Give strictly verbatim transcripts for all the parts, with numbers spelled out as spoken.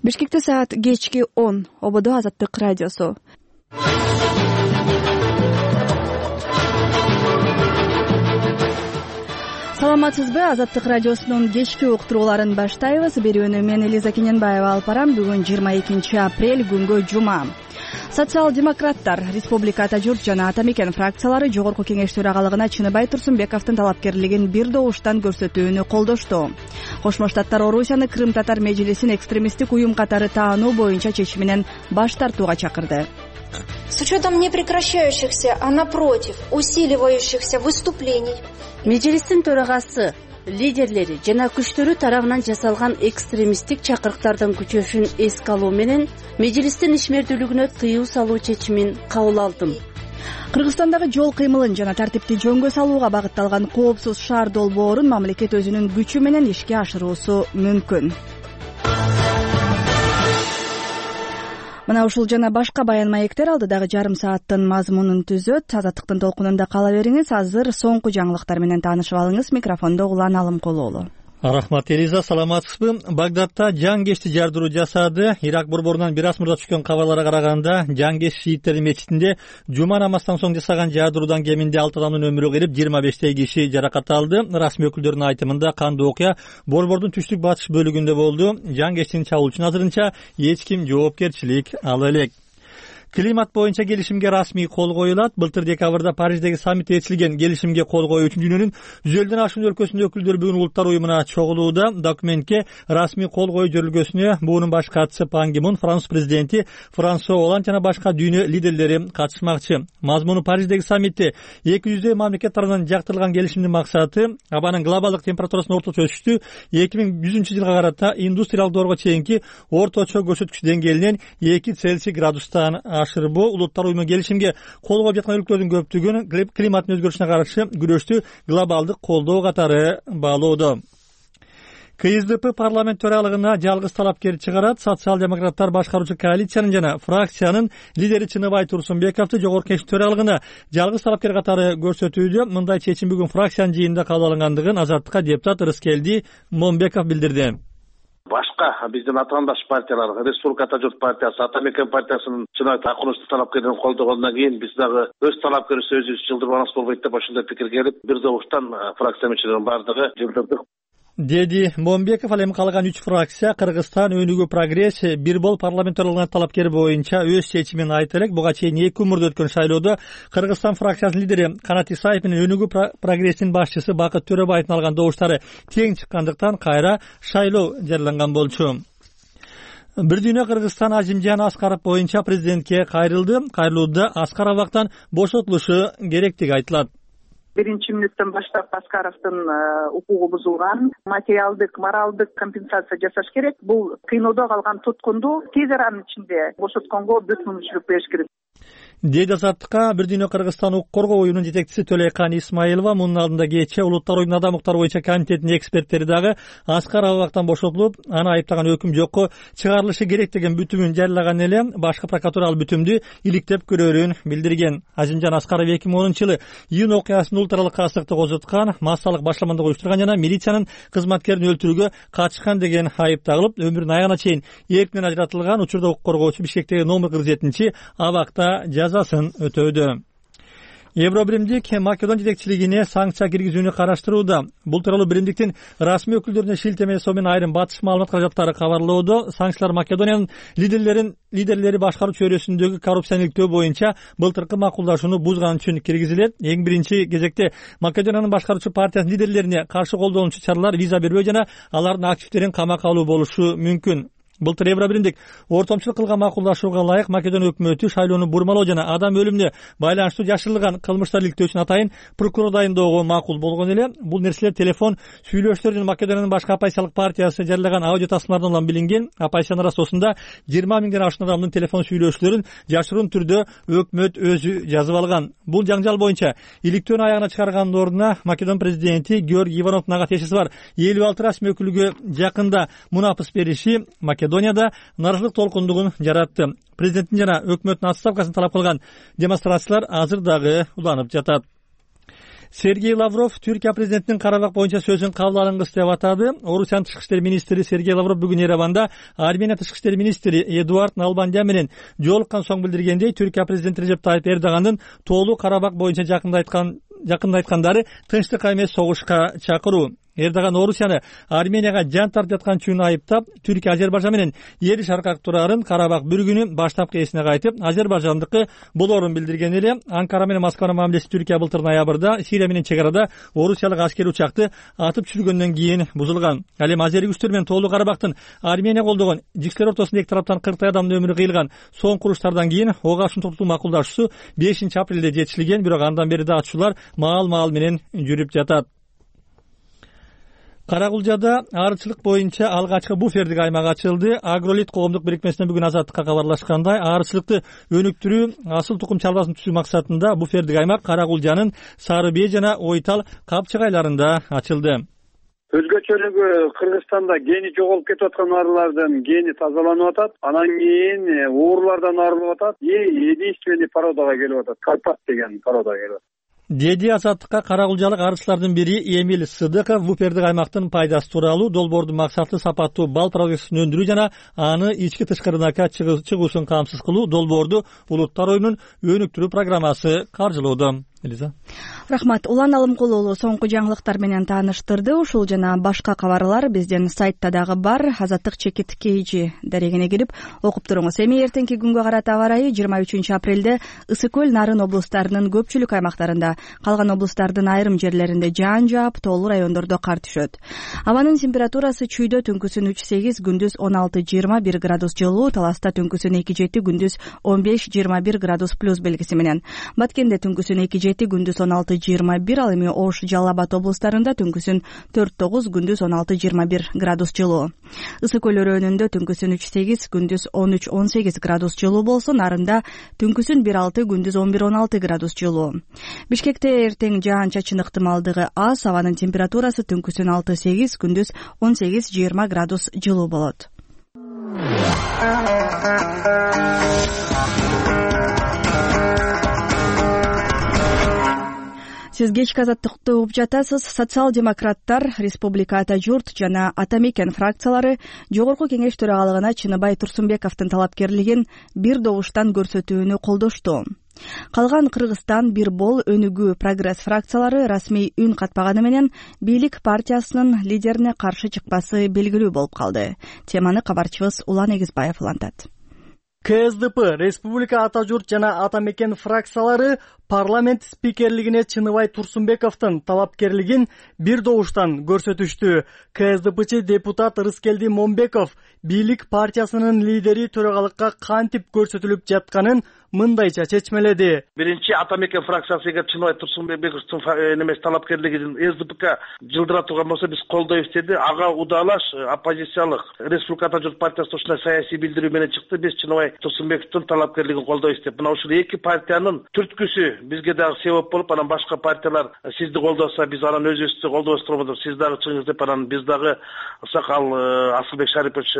Бишкекте саат кечки он. Ободо Азаттык радиосу. Саламатсызбы? Азаттык радиосунун кечки уктурууларын баштайбыз. Берүүнү мен Элиза Кененбаева алып барам. Бүгүн жыйырма экинчи апрель, күнгө жума. Социал-демократтар, Республика Ата журт жана Ата мекен фракциялары Жогорку Кеңеш төрагалыгына Чыныбай Турсунбековдун талапкерлигин бир добуштан көрсөтүүнү колдошту. Кошмо Штаттар Орусияны Крым татар межлисин экстремисттик уюм катары таануу боюнча чечиминен баш тартууга чакырды. С учетом непрекращающихся, а напротив, усиливающихся выступлений. Межлистин төрагасы, лидерлери жана күчтөрү тарабынан жасалган экстремисттик чакырыктардын күчөшүн эске алуу менен межлистин ишмердүүлүгүнө тыюу салуу чечимин кабыл алдым. Кыргызстандагы жол кыймылын жана тартипти жөнгө салууга багытталган коопсуз шаар долбоорун мамлекет өзүнүн күчү менен ишке ашыруусу мүмкүн. Мына ушул жана башка баян маектер алдыдагы жарым сааттын мазмунун түзөт. Азаттыктын толкунунда кала бериңиз. Азыр соңку жаңылыктар менен таанышып алыңыз. Микрофондо Улан Алымкулуулу. Рахмат Элиза, саламатсызбы? Багдадта жангечти жардыруу жасады. Ирак борборунан бир аз мурда түшкөн кабарларга караганда, жангеш шииттердин мечитинде жума намаздан соң жасаган жардыруудан кеминде алты адамдын өмүрү кыйрып, жыйырма бештей киши жаракат алды. Расмий өкүлдөрдүн айтымында кандуу окуя борбордун түштүк батыш бөлүгүндө болду. Жангештин чабуулчунун азырынча эч ким жоопкерчилик ала элек. Климат боюнча келишимге расмий кол коюлат. Былтыр декабрда Париждеги саммитте ээрчилген келишимге кол коюу үчүн дүйнөнүн жүз элден ашуун өлкөсүнүн өкүлдөрү бүгүн улуттар уюмуна чогулууда. Документке расмий кол коюу жөрөлгөсүнө буунун баш катчысы Пан Ги Мун, Франц президенти Франсуа Оланд жана башка дүйнө лидерлери катышмакчы. Мазмуну Париждеги саммитте эки жүздөй мамлекет тарабынан жактырылган келишимдин максаты абанын глобалдык температурасынын орточо өсүштү эки миң жүзүнчү жылга карата индустриялык доорго чейинки орточо көрсөткүч деңгээлинен эки Цельсий градустан ашырбоо. Улуттар уюму келишимге кол коюп жаткан өлкөлөрдүн көптүгүн климаттын өзгөрүшүнө каршы күрөштү глобалдык колдоо катары баалоодо. ка эс дэ пэ парламент төрагалыгына жалгыз талапкер чыгарат. Социал-демократтар башкаруучу коалициянын жана фракциянын лидери Чыныбай Турсунбековду Жогорку Кеңеш төрагалыгына жалгыз талапкер катары көрсөтүүдө. Мындай чечим бүгүн фракциянын жыйынында кабыл алынгандыгын Азаттыкка депутат Рыскелди Момбеков билдирди. Башка биздин атаандаш партиялар, Республика Ата журт партиясы, Ата мекен партиясынын Чыныбай Такуновду талапкердин колдогондон кийин биз дагы өз талапкерибизди өзүбүз жылдырбаныбыз болбойт деп ошондой пикир келип, бир добуштан фракция мүчөлөрүнүн баардыгы жылдырдык, деди Момбеков. Ал эми калган үч фракция Кыргызстан өнүгүү прогресс бир бол парламент төралыгына талапкер боюнча өз чечимин айта элек. Буга чейин эки күн мурда өткөн шайлоодо Кыргызстан фракциясынын лидери Канат Исаев менен өнүгүү прогресстин башчысы Бакыт Төрөбаевдин алган добуштары тең чыккандыктан кайра шайлоо жарыяланган болчу. Бир дүйнө Кыргызстан Азимжан Аскаров боюнча президентке кайрылды. Кайрылууда Аскар абактан бошотулушу керектиги айтылат. Биринчи мүнөттөн баштап Аскаровдун укугу бузулган, материалдык, моралдык компенсация жасаш керек. Бул кыйноодо калган туткунду тез аранын ичинде бошотконго бүт мүмкүнчүлүк бериш керек. Дейди Азаттыкка бир дүйнө Кыргызстан укук коргоо уюмунун жетекчиси Төлөйкан Исмаилова. Мунун алдында кечээ улуттар уюмунун адам укуктары боюнча комитетинин эксперттери дагы Аскар абактан бошотулуп, аны айыптаган өкүм жокко чыгарылышы керек деген бүтүмүн жарыялаган эле. Башкы прокуратура ал бүтүмдү иликтеп көрөрүн билдирген. Азимжан Аскаров эки миң онунчу жылы июнь окуясын ул аралык касыктык козуткан, массалык башламандык уюштурган жана милициянын кызматкерин өлтүрүүгө катышкан деген айып тагылып, өмүрүнүн аягына чейин эркинен ажыратылган. Учурда укук коргоочу Бишкектеги номер кырк жетинчи абакта жазасын өтөөдө. Евробиримдик Македон жетекчилигине санкция киргизүүнү караштырууда. Бул тууралуу биримдиктин расмий өкүлдөрүнө шилтеме жасоо менен айрым батыш маалымат каражаттары кабарлоодо. Санкциялар Македониянын лидерлерин лидерлери башкаруу чөйрөсүндөгү коррупционерликтөө боюнча былтыркы макулдашууну бузган үчүн киргизилет. Эң биринчи кезекте Македониянын башкаруучу партиясынын лидерлерине каршы колдонуучу чаралар виза бербөө жана алардын активдерин камакка алуу болушу мүмкүн. Былтыр Евробиримдик ортомчулук кылган макулдашууга ылайык Македон өкмөтү шайлоону бурмалоо жана адам өлүмүнө байланыштуу жашырылган кылмыштар иликтөө үчүн атайын прокурор дайындоого макул болгон эле. Бул нерселер телефон сүйлөшүүлөр жана Македониянын башка оппозициялык партиясы жарыялаган аудио тасмалардан улам билинген. Оппозициянын арасында жыйырма миңден ашуун адамдын телефон сүйлөшүүлөрүн жашыруун түрдө өкмөт өзү жазып алган. Бул жаңжал боюнча иликтөөнү аягына чыгаргандын ордуна Македон президенти Георгий Ивановдун ага тиешеси бар элүү алты расмий өкүлгө жакында мунапыс бериши Македонияда наразылык толкундугун жаратты. Президенттин жана өкмөттүн отставкасын талап кылган демонстрациялар азыр дагы уланып жатат. Сергей Лавров Түркия президентинин Карабак боюнча сөзүн кабыл алынгыс деп атады. Орусиянын тышкы иштер министри Сергей Лавров бүгүн Ереванда Армения тышкы иштер министри Эдуард Налбандян менен жолуккан соң билдиргендей, Түркия президенти Режеп Тайып Эрдогандын тоолуу Карабак боюнча жакында айткан жакында айткандары тынчтыкка эмес согушка чакыруу. Эрдоган Орусияны Арменияга жан тартып жаткан айыптап, Түркия Азербайжан менен эл шаркак турарын Карабак бир күнү баштапкы эсине кайтып, Азербайжандыкы болоорун билдирген эле. Анкара менен Москванын мамилеси Түркия былтыр ноябрда Сирия менен чек арада орусиялык аскерий учакты атып түшүргөндөн кийин бузулган. Ал эми азерий күчтөр менен тоолуу Карабактын Армения колдогон жикселер ортосунда эки тараптан кырктай адамдын өмүрү кыйылган соңку уруштардан кийин ого ашуун токтотуу макулдашуусу бешинчи апрелде жетишилген, бирок андан бери да атышуулар маал-маал менен жүрүп жатат. Карагулжада аарычылык боюнча алгачкы буфердик аймак ачылды. Агролит коомдук бирикмесинен бүгүн Азаттыкка кабарлашкандай, аарычылыкты өнүктүрүү, асыл тукум чарбасын түзүү максатында буфердик аймак Карагулжанын Сары Бээ жана Ойтал капчыгайларында ачылды. Өзгөчөлүгү Кыргызстанда гени жоголуп кетип аткан арылардын гени тазаланып атат. Анан кийин уурулардан арылып атат. Единственный породага келип атат. Карпат деген породага келип атат. Деди Азаттыкка карагулжалык арычылардын бири Эмиль Сыдыков буфердик аймактын пайдасы тууралуу долбоордун максаты сапаттуу бал продукциясын өндүрүү жана аны ички тышкы рынокко чыгуусун камсыз кылуу долбоорду Улуттар оюнун өнүктүрүү программасы каржылоодо. Элиза. Рахмат. Улан Алымкулуулу соңку жаңылыктар менен тааныштырды. Ушул жана башка кабарлар биздин сайтта дагы бар. Азаттык чекит кейжи дарегине кирип окуп туруңуз. Эми эртеңки күнгө карата аба ырайы жыйырма үчүнчү апрелде Ысык көл, Нарын облустарынын көпчүлүк аймактарында, калган облустардын айрым жерлеринде жаан жаап, тоолуу райондордо кар түшөт. Абанын температурасы чүйдө түнкүсүн үч сегиз, күндүз он алты жыйырма бир градус жылуу, Таласта түнкүсүн эки жети, күндүз он беш жыйырма бир градус плюс белгиси менен. Баткенде түнкүсүн эки жети, күндүз он алты жыйырма бир, ал эми Ош, Жалал Абад облустарында түнкүсүн төрт тогуз, күндүз он алты жыйырма бир градус жылуу. Ысык көл өрөөнүндө түнкүсүн үч сегиз, күндүз он үч он сегиз градус жылуу болсо, Нарында түнкүсүн бир алты, күндүз он бир он алты градус жылуу. Бишкекте эртең жаан-чачын ыктымалдыгы аз, абанын температурасы түнкүсүн алты сегиз, күндүз он сегиз жыйырма градус жылуу болот. Сиз кечки азаттыкты угуп жатасыз. Социал-демократтар, Республика Ата журт жана Ата мекен фракциялары Жогорку Кеңеш төрагалыгына Чыныбай Турсунбековдун талапкерлигин бир добуштан көрсөтүүнү колдошту. Калган Кыргызстан, Бир бол, Өнүгүү, Прогресс фракциялары расмий үн катпаганы менен бийлик партиясынын лидерине каршы чыкпасы белгилүү болуп калды. Теманы кабарчыбыз Улан Эгизбаев улантат. КСДП, Республика Ата журт жана Ата мекен фракциялары парламент спикерлигине Чыныбай Турсунбековдун талапкерлигин бир добуштан көрсөтүштү. КСДПчы депутат Рыскелди Момбеков бийлик партиясынын лидери төрагалыкка кантип көрсөтүлүп жатканын мындайча чечмеледи. Биринчи Ата мекен фракциясы эгер Чыныбай Турсунбековдун немес талапкерлигин КСДПга жылдыра турган болсо, биз колдойбуз деди. Ага удаалаш оппозициялык Республика Ата журт партиясы ушундай саясий билдирүү менен чыкты. Биз Чыныбай Турсунбековдун талапкерлигин колдойбуз деп. Мына ушул эки партиянын түрткүсү бизге дагы себеп болуп, анан башка партиялар сизди колдоса, биз анан өзүбүздү колдобос турбуз, сиз дагы чыгыңыз деп, анан биз дагы Сакал Асылбек Шарипович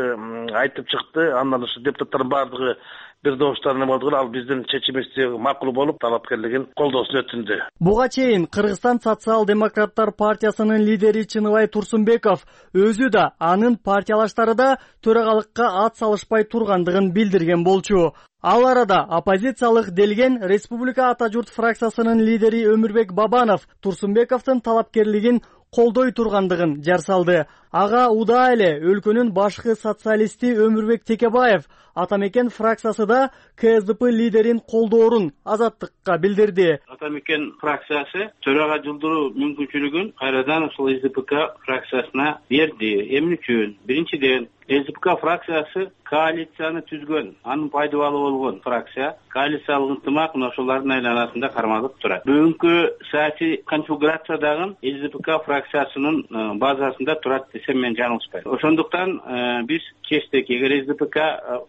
айтып чыкты. Андан ушу депутаттардын баардыгы бир добуштан эме болду. Ал биздин чечимибизди макул болуп, талапкерлигин колдоосун өтүндү. Буга чейин Кыргызстан социал-демократтар партиясынын лидери Чыныбай Турсунбеков өзү да, анын партиялаштары да төрагалыкка ат салышпай тургандыгын билдирген болчу. Ал арада оппозициялык делген Республика Ата журт фракциясынын лидери Өмүрбек Бабанов Турсунбековдун талапкерлигин колдой тургандыгын жар салды. Ага удаа эле өлкөнүн башкы социалисти Өмүрбек Текебаев Ата мекен фракциясы да КСДП лидерин колдоорун Азаттыкка билдирди. Ата мекен фракциясы төрага жылдыруу мүмкүнчүлүгүн кайрадан ушул СДПК фракциясына берди. Эмне үчүн? Биринчиден, СДПК фракциясы коалицияны түзгөн, анын пайдабалы болгон фракция. Коалициялык ынтымак мына ошолордун айланасында кармалып турат. Бүгүнкү саясий конфигурация дагы СДПК фракциясынын базасында турат десем мен жаңылышпайм. Ошондуктан биз чечтик, эгер СДПК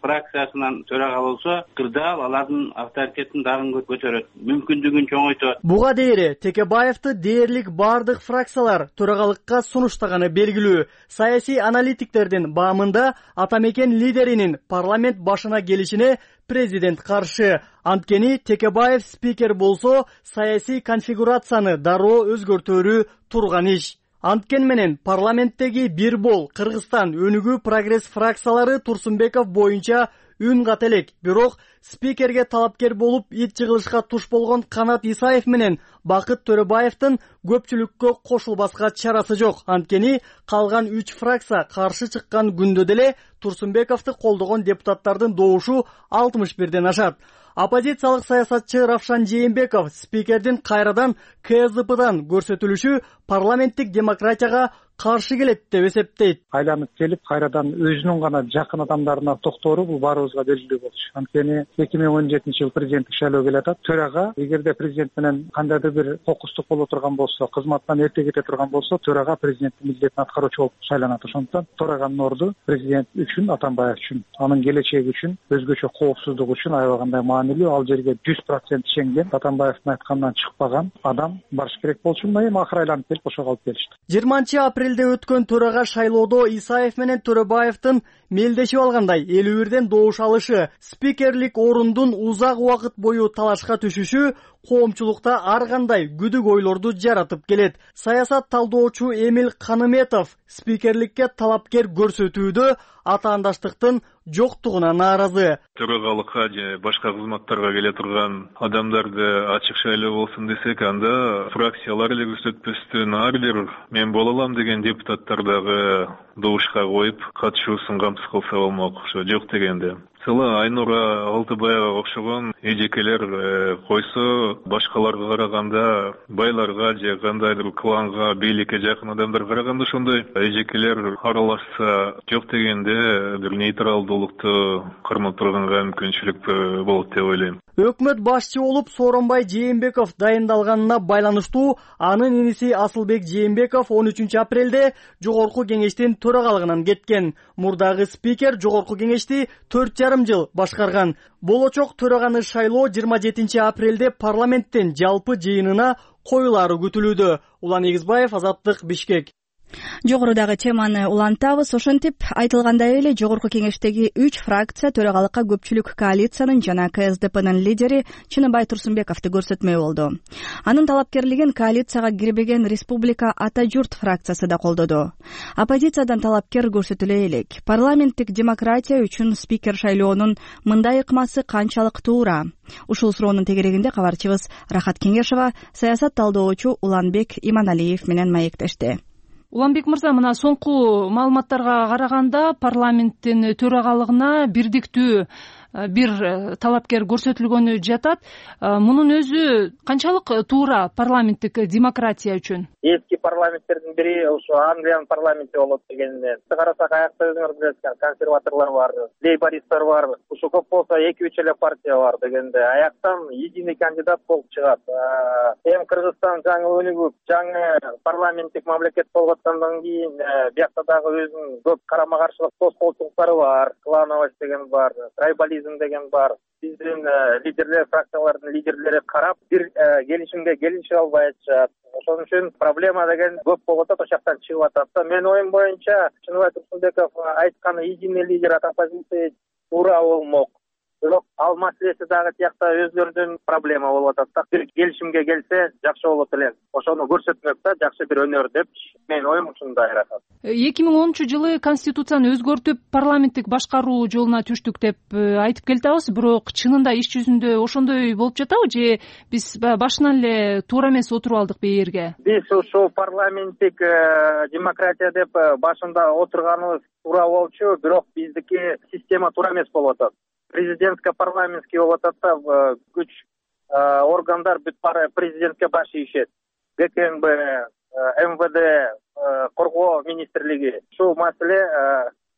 фракциясынан төрага болсо, кырдаал алардын авторитетин дагы көтөрөт, мүмкүндүгүн чоңойтот. Буга дейре Текебаевди дээрлик бардык фракциялар төрагалыкка сунуштаганы белгилүү. Саясий аналитиктердин баамында Кыргызстанда ата мекен лидеринин парламент башына келишине президент каршы. Анткени Текебаев спикер болсо саясий конфигурацияны дароо өзгөртөрү турган иш. Анткен менен парламенттеги бир бол Кыргызстан өнүгүү прогресс фракциялары Турсунбеков боюнча үн ката элек. Бирок спикерге талапкер болуп ит жыгылышка туш болгон Канат Исаев менен Бакыт Төрөбаевдин көпчүлүккө кошулбаска чарасы жок. Анткени калган үч фракция каршы чыккан күндө деле Турсунбековду колдогон депутаттардын добушу алтымыш бирден ашат. Оппозициялык саясатчы Равшан Жээнбеков спикердин кайрадан КСДПдан көрсөтүлүшү парламенттик демократияга каршы келет деп эсептейт. Айланып келип кайрадан өзүнүн гана жакын адамдарына токтоору бул баарыбызга белгилүү болчу. Анткени эки миң он жетинчи жыл президенттик шайлоо келе атат. Төрага эгерде президент менен кандайдыр бир кокустук боло турган болсо, кызматтан эрте кете турган болсо, төрага президенттин милдетин аткаруучу болуп шайланат. Ошондуктан төраганын орду президент үчүн, Атамбаев үчүн, анын келечеги үчүн, өзгөчө коопсуздук үчүн аябагандай маанилүү. Ал жерге жүз процент ишенген, Атамбаевдин айтканынан чыкпаган адам барыш керек болчу. Эми акыры айланып келип ошого алып келишти. жыйырманчы апрелде өткөн төрага шайлоодо Исаев менен Төрөбаевдин мелдешип алгандай элүү бирден добуш алышы, спикерлик орундун узак убакыт бою талашка түшүшү коомчулукта ар кандай күдүк ойлорду жаратып келет. Саясат талдоочу Эмил Каныметов спикерликке талапкер көрсөтүүдө атаандаштыктын жоктугуна нааразы. Төрагалыкка же башка кызматтарга келе турган адамдарды ачык шайлоо болсун десек, анда фракциялар эле көрсөтпөстөн ар бир мен боло алам деген депутаттар дагы добушка коюп катышуусун камсыз кылса болмок. Ошо жок дегенде Сыла Айнура Алтыбаева окшогон эжекелер койсо, башкаларга караганда, байларга же кандайдыр кланга, бийликке жакын адамдарга караганда ошондой эжекелер аралашса жок дегенде бир нейтралдуулукту кармап турганга мүмкүнчүлүк болот деп ойлойм. Өкмөт башчы болуп Сооронбай Жээнбеков дайындалганына байланыштуу анын иниси Асылбек Жээнбеков он үчүнчү апрелде жогорку кеңештин төрагалыгынан кеткен. Мурдагы спикер жогорку кеңешти төрт жарым жыл башкарган. Болочок төраганы шайлоо жыйырма жетинчи апрелде парламенттин жалпы жыйынына коюлары күтүлүүдө. Улан Эгизбаев, Азаттык, Бишкек. Жогорудагы теманы улантабыз. Ошентип айтылгандай эле жогорку кеңештеги үч фракция төрагалыкка көпчүлүк коалициянын жана КСДПнын лидери Чыныбай Турсунбековду көрсөтмөй болду. Анын талапкерлигин коалицияга кирбеген Республика Ата журт фракциясы да колдоду. Оппозициядан талапкер көрсөтүлө элек. Парламенттик демократия үчүн спикер шайлоонун мындай ыкмасы канчалык туура? Ушул суроонун тегерегинде кабарчыбыз Рахат Кеңешова саясат талдоочу Уланбек Иманалиев менен маектешти. Уланбек мырза, мына соңку маалыматтарга караганда парламенттин төрагалыгына бирдиктүү бир талапкер көрсөтүлгөнү жатат. Мунун өзү канчалык туура парламенттик демократия үчүн? Эски парламенттердин бири ошо Англиянын парламенти болот дегенде. Карасак аякта өзүңөр билесиз, консерваторлор бар, лейбористтер бар. Ушу көп болсо эки үч эле партия бар дегенде аяктан единый кандидат болуп чыгат. Эми Кыргызстан жаңы өнүгүп, жаңы парламенттик мамлекет болгондон кийин биякта дагы өзүнүн көп карама каршылык тоскоолчулуктары бар. Клановость деген бар, трайбализм деген бар. Биздин лидерлер, фракциялардын лидерлери карап бир келишимге келише албай атышат. Ошон үчүн проблема деген көп болуп атат, ошол жактан чыгып атат. Мен оюм боюнча Чыныбай Турсунбеков айтканы единый лидер от оппозиции туура болмок. Бирок ал маселеси дагы тиякта өзлөрүнүн проблема болуп атат да. Бир келишимге келсе жакшы болот эле. Ошону көрсөтмөк да, жакшы бир өнөр деп менин оюм ушундай рахат. эки миң онунчу жылы конституцияны өзгөртүп парламенттик башкаруу жолуна түштүк деп айтып келатабыз, бирок чынында иш жүзүндө ошондой болуп жатабы же биз башынан эле туура эмес отуруп алдыкпы эрге? Биз ушул парламенттик демократия деп башында отурганыбыз туура болчу, бирок биздики система туура эмес болуп атат. Президентско-парламентский болуп атат да, күч органдар бүт баары президентке баш ийишет. ГКНБ, МВД, коргоо министрлиги. Ушул маселе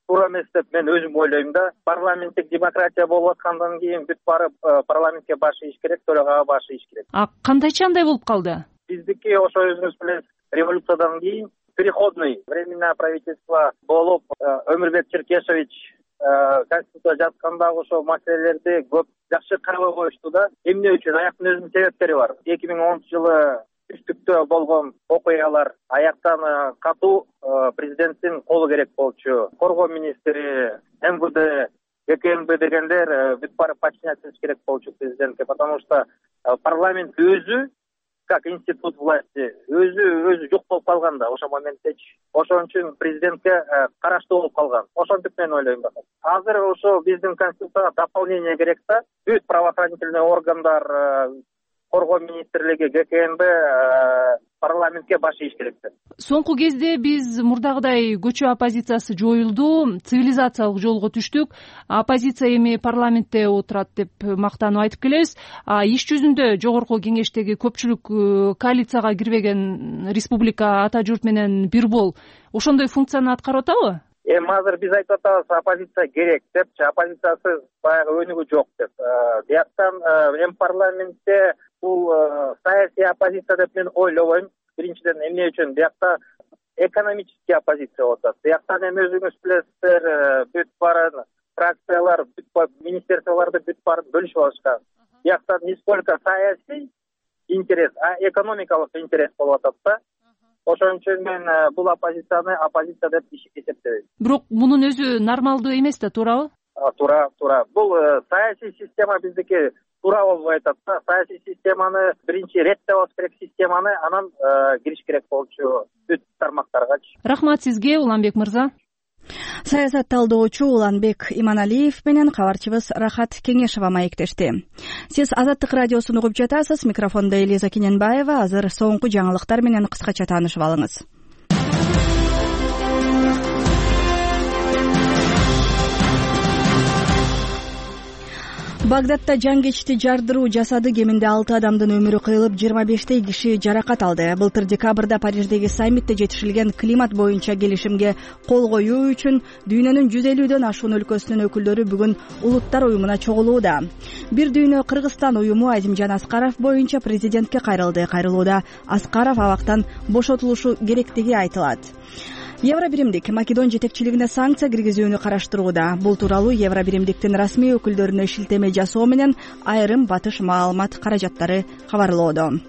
туура эмес деп мен өзүм ойлойм да. Парламенттик демократия болуп аткандан кийин бүт баары парламентке баш ийиш керек, төрагага баш ийиш керек. А кандайча андай болуп калды? Биздики ошо өзүңүз билесиз, революциядан кийин переходный временное правительство болуп Өмүрбек Черкешевич конституция жазгандагы ошол маселелерди көп жакшы карабай коюшту да. Эмне үчүн? Аяктын өзүнүн себептери бар. эки миң онунчу жылы түштүктө болгон окуялар, аяктан катуу президенттин колу керек болчу. Коргоо министри, эм вэ дэ, гэ ка эм бэ дегендер бүт баары подчиняться керек болчу президентке, потому что парламент өзү как институт власти өзү өзү жок болуп калган да ошол моменттечи. Ошон үчүн президентке караштуу болуп калган. Ошентип мен ойлойм. Азыр ошо биздин конституцияга дополнение керек да. Бүт правоохранительный органдар, коргоо министрлиги, гэ ка эм бэ парламентке баш ийиш керек да. Соңку кезде биз мурдагыдай көчө оппозициясы жоюлду, цивилизациялык жолго түштүк. Оппозиция эми парламентте отурат деп мактанып айтып келебиз. А иш жүзүндө жогорку кеңештеги көпчүлүк коалицияга кирбеген республика ата журт менен бир бол ошондой функцияны аткарып атабы? Эми азыр биз айтып атабыз, оппозиция керек депчи, оппозициясыз баягы өнүгүү жок деп. Бияктан эми парламентте бул саясий оппозиция деп мен ойлобойм. Биринчиден эмне үчүн биякта экономический оппозиция болуп атат. Бияктан эми өзүңүз билесиздер, бүт баарын фракциялар, бүт министрликтарды бүт баарын бөлүшүп алышкан. Бияктан не сколько саясий интерес, а экономикалык интерес болуп атат да. Ошон үчүн мен бул оппозицияны оппозиция деп эсептебейм. Бирок мунун өзү нормалдуу эмес да, туурабы? Туура, туура. Бул саясий система биздики туура болбой атат да. Саясий системаны биринчи реттеп алыш керек, системаны, анан кириш керек болчу бүт тармактаргачы. Рахмат сизге, Уланбек мырза. Саясат талдоочу Уланбек Иманалиев менен кабарчыбыз Рахат Кеңешова маектешти. Сиз Азаттык радиосун угуп жатасыз. Микрофондо Элиза Кененбаева. Азыр соңку жаңылыктар менен кыскача таанышып алыңыз. Багдадда жангечти жардыруу жасады. Кеминде алты адамдын өмүрү кыйылып, жыйырма бештей киши жаракат алды. Былтыр декабрда Париждеги саммитте жетишилген климат боюнча келишимге кол коюу үчүн дүйнөнүн жүз элүүдөн ашуун өлкөсүнүн өкүлдөрү бүгүн Улуттар уюмуна чогулууда. Бир дүйнө Кыргызстан уюму Азимжан Аскаров боюнча президентке кайрылды. Кайрылууда Аскаров абактан бошотулушу керектиги айтылат. Евробиримдик Македон жетекчилигине санкция киргизүүнү караштырууда. Бул тууралуу Евробиримдиктин расмий өкүлдөрүнө шилтеме жасоо менен айрым батыш маалымат каражаттары кабарлоодо.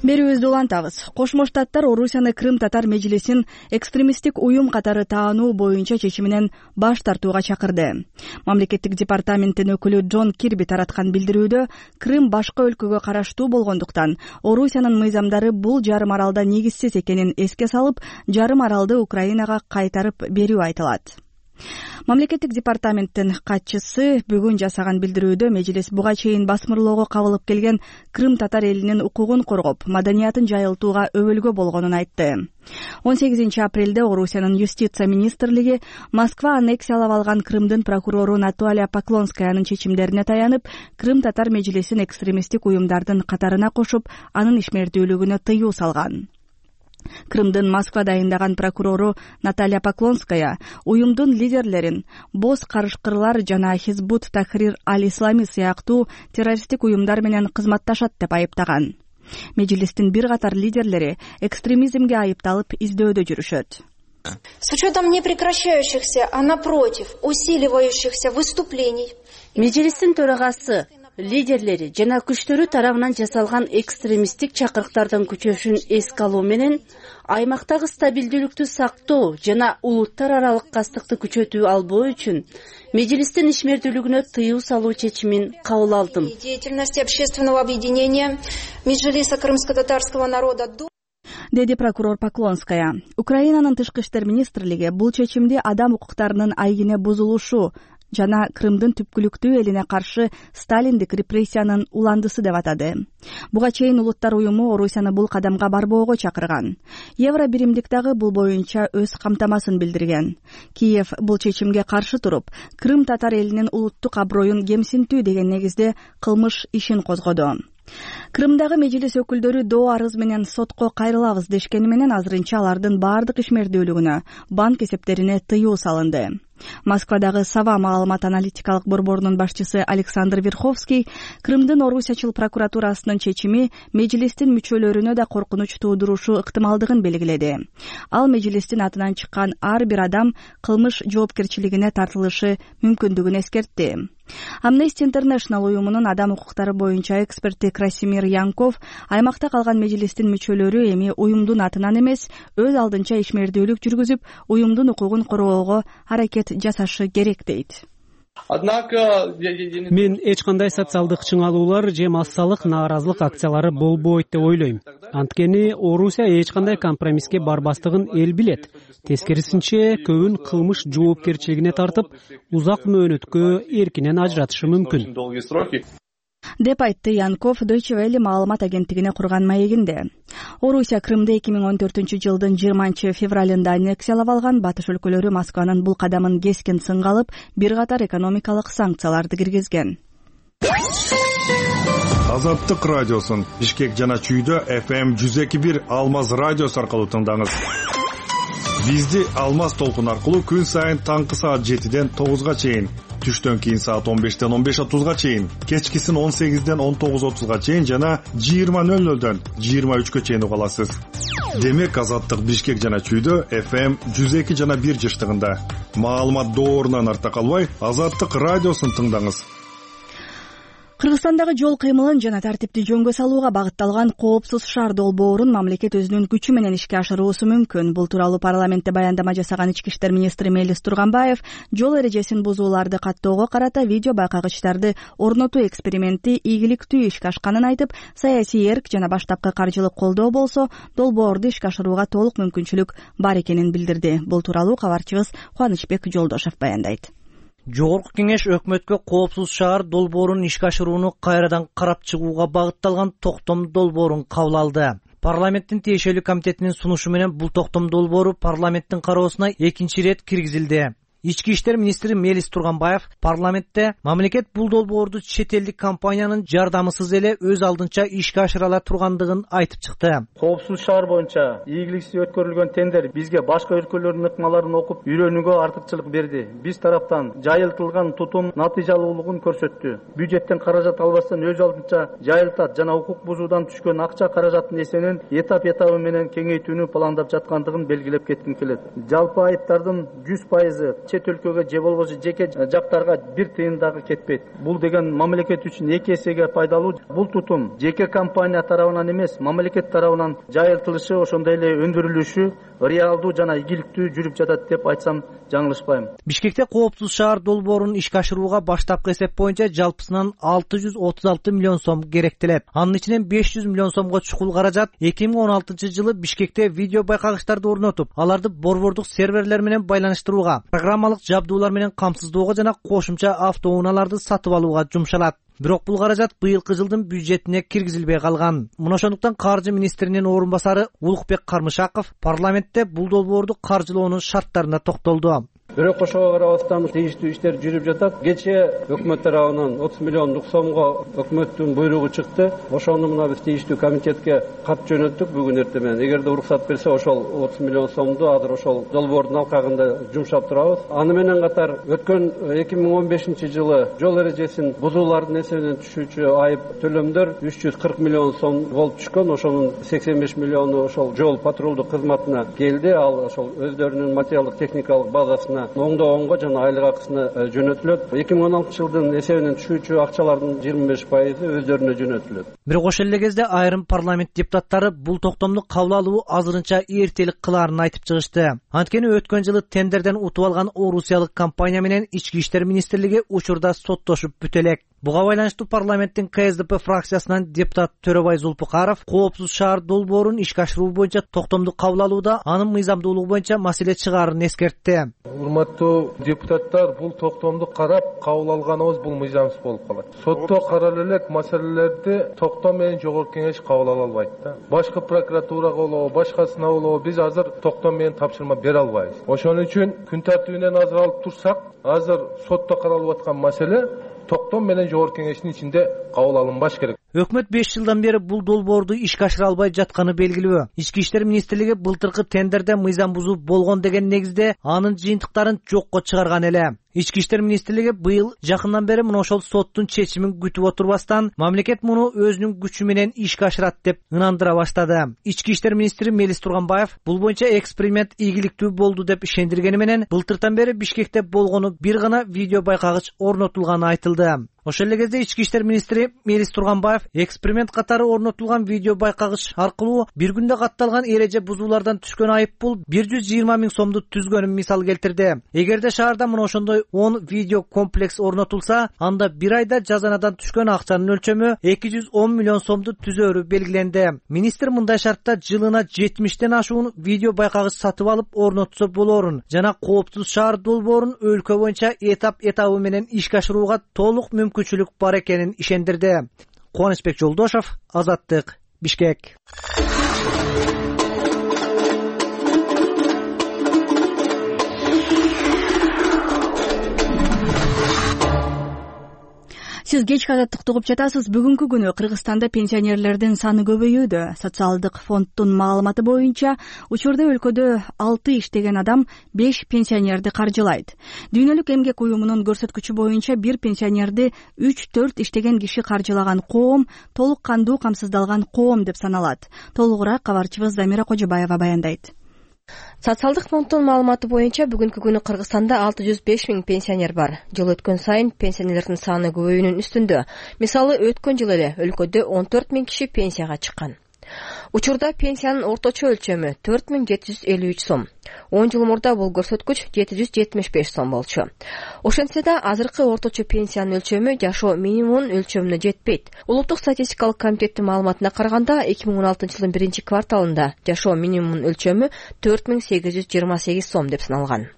Берүүбүздү улантабыз. Кошмо Штаттар Орусияны Крым-татар межлисин экстремисттик уюм катары таануу боюнча чечиминен баш тартууга чакырды. Мамлекеттик департаменттин өкүлү Джон Кирби тараткан билдирүүдө Крым башка өлкөгө караштуу болгондуктан Орусиянын мыйзамдары бул жарым аралда негизсиз экенин эске салып, жарым аралды Украинага кайтарып берүү айтылат. Мамлекеттик департаменттин катчысы бүгүн жасаган билдирүүдө межлис буга чейин басмырлоого кабылып келген крым-татар элинин укугун коргоп, маданиятын жайылтууга өбөлгө болгонун айтты. он сегизинчи апрелде Орусиянын юстиция министрлиги Москва аннексиялап алган Крымдын прокурору Наталья Поклонскаянын чечимдерине таянып, крым-татар межлисин экстремисттик уюмдардын катарына кошуп, анын ишмердүүлүгүнө тыюу салган. Крымдын Москва дайындаган прокурору Наталья Поклонская уюмдун лидерлерин боз карышкырлар жана Хизбут Тахрир аль-Ислами сыяктуу террористтик уюмдар менен кызматташат деп айыптаган. Межлистин бир катар лидерлери экстремизмге айыпталып издөөдө жүрүшөт. С учетом непрекращающихся, а напротив, усиливающихся выступлений. Межлистин төрагасы, лидерлери жана күчтөрү тарабынан жасалган экстремисттик чакырыктардын күчөшүн эске алуу менен аймактагы стабилдүүлүктү сактоо жана улуттар аралык кастыкты күчөтүү албоо үчүн межлистин ишмердүүлүгүнө тыюу салуу чечимин кабыл алдым. Деятельности общественного объединения Меджлиса крымско-татарского народа деди прокурор Поклонская. Украинанын тышкы иштер министрлиги бул чечимди адам укуктарынын айгине бузулушу жана Крымдын түпкүлүктүү элине каршы сталиндик репрессиянын уландысы деп атады. Буга чейин Улуттар уюму Орусияны бул кадамга барбоого чакырган. Евробиримдик дагы бул боюнча өз камтамасын билдирген. Киев бул чечимге каршы туруп, Крым-татар элинин улуттук аброюн кемсинтүү деген негизде кылмыш ишин козгоду. Крымдагы межлис өкүлдөрү доо арыз менен сотко кайрылабыз дешкени менен азырынча алардын баардык ишмердүүлүгүнө, банк эсептерине тыюу салынды. Москвадагы Сава маалымат аналитикалык борборунун башчысы Александр Верховский Крымдын Орусиячыл прокуратурасынын чечими межлистин мүчөлөрүнө да коркунуч туудурушу ыктымалдыгын белгиледи. Ал межлистин атынан чыккан ар бир адам кылмыш жоопкерчилигине тартылышы мүмкүндүгүн эскертти. Amnesty International уюмунун адам укуктары боюнча эксперти Красимир Янков аймакта калган межлистин мүчөлөрү эми уюмдун атынан эмес, өз алдынча ишмердүүлүк жүргүзүп, уюмдун укугун коргоого аракет жасашы керек дейт. Мен эч кандай социалдык чыңалуулар же массалык нааразылык акциялары болбойт деп ойлойм. Анткени Орусия эч кандай компромисске барбастыгын эл билет. Тескерисинче, көбүн кылмыш жоопкерчилигине тартып, узак мөөнөткө эркинен ажыратышы мүмкүн деп айтты Янков Deutsche Welle маалымат агенттигине курган маегинде. Орусия Крымды эки миң он төртүнчү жылдын жыйырманчы февралында аннексиялап алган. Батыш өлкөлөрү Москванын бул кадамын кескин сынга алып, бир катар экономикалык санкцияларды киргизген. Азаттык радиосун Бишкек жана Чүйдө эф эм жүз эки бир Алмаз радиосу аркылуу тыңдаңыз. Бизди Алмаз толкун аркылуу күн сайын таңкы саат жетиден тогузга чейин, түштөн кийин саат он бештен он беш отузга чейин, кечкисин он сегизден он тогуз отузга чейин жана жыйырма нөл нөлдөн жыйырма үчкө чейин уга аласыз. Демек Азаттык Бишкек жана Чүйдө эф эм жүз эки жана бир жыштыгында. Маалымат доорунан арта калбай, Азаттык радиосун тыңдаңыз. Кыргызстандагы жол кыймылын жана тартипти жөнгө салууга багытталган коопсуз шаар долбоорун мамлекет өзүнүн күчү менен ишке ашыруусу мүмкүн. Бул тууралуу парламентте баяндама жасаган ички иштер министри Мелис Турганбаев жол эрежесин бузууларды каттоого карата видео байкагычтарды орнотуу эксперименти ийгиликтүү ишке ашканын айтып, саясий эрк жана баштапкы каржылык колдоо болсо, долбоорду ишке ашырууга толук мүмкүнчүлүк бар экенин билдирди. Бул тууралуу кабарчыбыз Кубанычбек Жолдошев баяндайт. Жогорку кеңеш өкмөткө коопсуз шаар долбоорун ишке ашырууну кайрадан карап чыгууга багытталган токтом долбоорун кабыл алды. Парламенттин тиешелүү комитетинин сунушу менен бул токтом долбоору парламенттин кароосуна экинчи ирет киргизилди. Ички иштер министри Мелис Турганбаев парламентте мамлекет бул долбоорду чет элдик компаниянын жардамысыз эле өз алдынча ишке ашыра ала тургандыгын айтып чыкты. Коопсуз шаар боюнча ийгиликсиз өткөрүлгөн тендер бизге башка өлкөлөрдүн ыкмаларын окуп үйрөнүүгө артыкчылык берди. Биз тараптан жайылтылган тутум натыйжалуулугун көрсөттү. Бюджеттен каражат албастан өз алдынча жайылтат жана укук бузуудан түшкөн акча каражатын эсенин этап-этабы менен кеңейтүүнү пландап жаткандыгын белгилеп кетким келет. Жалпы айыптардын жүз пайызы чет өлкөгө же болбосо жеке жактарга бир тыйын дагы кетпейт. Бул деген мамлекет үчүн эки эсеге пайдалуу. Бул тутум жеке компания тарабынан эмес, мамлекет тарабынан жайылтылышы, ошондой эле өндүрүлүшү реалдуу жана ийгиликтүү жүрүп жатат деп айтсам жаңылышпайм. Бишкекте коопсуз шаар долбоорун ишке ашырууга баштапкы эсеп боюнча жалпысынан алты жүз отуз алты миллион сом керектелет. Анын ичинен беш жүз миллион сомго чукул каражат эки миң он алтынчы жылы Бишкекте видео байкагычтарды орнотуп, аларды борбордук серверлер менен байланыштырууга, программалык жабдуулар менен камсыздоого жана кошумча автоунaalарды сатып алууга жумшалат. Бирок бул каражат быйылкы жылдын бюджетине киргизилбей калган. Мына ошондуктан каржы министринин орун басары Улукбек Кармышаков парламентте бул долбоорду каржылоонун шарттарына токтолду. Бирок ошого карабастан тийиштүү иштер жүрүп жатат. Кечээ өкмөт тарабынан отуз миллиондук сомго өкмөттүн буйругу чыкты. Ошону мына биз тийиштүү комитетке кат жөнөттүк бүгүн эртең менен. Эгерде уруксат берсе, ошол отуз миллион сомду азыр ошол долбоордун алкагында жумшап турабыз. Аны менен катар өткөн эки миң он бешинчи жылы жол эрежесин бузуулардын эсебинен түшүүчү айып төлөмдөр үч жүз кырк миллион сом болуп түшкөн. Ошонун сексен беш миллиону ошол жол патрулдук кызматына келди. Ал ошол өздөрүнүн материалдык техникалык базасына оңдогонго жана айлык акысына жөнөтүлөт. эки миң он алтынчы жылдын эсебинен түшүүчү акчалардын жыйырма беш пайызы өздөрүнө жөнөтүлөт. Бирок ошол эле кезде айрым парламент депутаттары бул токтомду кабыл алуу азырынча эртелик кылаарын айтып чыгышты. Анткени өткөн жылы тендерден утуп алган орусиялык компания менен ички иштер министрлиги учурда соттошуп бүтө элек. Буга байланыштуу парламенттин ка эс дэ пэ фракциясынан депутат Төрөбай Зулпукаров коопсуз шаар долбоорун ишке ашыруу боюнча токтомду кабыл алууда анын мыйзамдуулугу боюнча маселе чыгаарын эскертти. Урматтуу депутаттар, бул токтомду карап кабыл алганыбыз бул мыйзамсыз болуп калат. Сотто карала элек маселелерди токтом менен жогорку кеңеш кабыл ала албайт да. Башкы прокуратурага болобу, башкасына болобу биз азыр токтом менен тапшырма бере албайбыз. Ошон үчүн күн тартибинен азыр алып турсак, азыр сотто каралып аткан маселе токтом менен жогорку кеңештин ичинде кабыл алынбаш керек. Өкмөт беш жылдан бери бул долбоорду ишке ашыра албай жатканы белгилүү. Ички иштер министрлиги былтыркы тендерде мыйзам бузуу болгон деген негизде анын жыйынтыктарын жокко чыгарган эле. Ички иштер министрлиги быйыл жакындан бери мына ошол соттун чечимин күтүп отурбастан мамлекет муну өзүнүн күчү менен ишке ашырат деп ынандыра баштады. Ички иштер министри Мелис Турганбаев бул боюнча эксперимент ийгиликтүү болду деп ишендиргени менен былтыртан бери Бишкекте болгону бир гана видео байкагыч орнотулганы айтылды. Ошол эле кезде ички иштер министри Мелис Турганбаев эксперимент катары орнотулган видео байкагыч аркылуу бир күндө катталган эреже бузуулардан түшкөн айыппул бир жүз жыйырма миң сомду түзгөнүн мисал келтирди. Эгерде шаарда мына ошондой он видео комплекс орнотулса, анда бир айда жазанадан түшкөн акчанын өлчөмү эки жүз он миллион сомду түзөөрү белгиленди. Министр мындай шартта жылына жетимиштен ашуун видео байкагыч сатып алып орнотсо болорун жана Кооптуз шаар долбоорун өлкө боюнча этап этабы менен ишке ашырууга толук мүмкүнчүлүк бар экенин ишендирди. Кубанычбек Жолдошов, Азаттык, Бишкек. Сиз кечки Азаттыкты угуп жатасыз. Бүгүнкү күнү Кыргызстанда пенсионерлердин саны көбөйүүдө. Социалдык фонддун маалыматы боюнча учурда өлкөдө алты иштеген адам беш пенсионерди каржылайт. Дүйнөлүк эмгек уюмунун көрсөткүчү боюнча бир пенсионерди үч төрт иштеген киши каржылаган коом толук кандуу камсыздалган коом деп саналат. Толугураак кабарчыбыз Замира Кожобаева баяндайт. Социалдык фонддун маалыматы боюнча бүгүнкү күнү Кыргызстанда алты жүз беш миң пенсионер бар. Жыл өткөн сайын пенсионерлердин саны көбөйүүнүн үстүндө. Мисалы, өткөн жылы эле өлкөдө он төрт миң киши пенсияга чыккан. Учурда пенсиянын орточо өлчөмү төрт миң жети жүз элүү үч сом. он жыл мурда бул көрсөткүч жети жүз жетимиш беш сом болчу. Ошентсе да азыркы орточо пенсиянын өлчөмү жашоо минимумунун өлчөмүнө жетпейт. Улуттук статистикалык комитеттин маалыматына караганда эки миң он алтынчы жылдын биринчи кварталында жашоо минимумунун өлчөмү төрт миң сегиз жүз жыйырма сегиз сом деп саналган.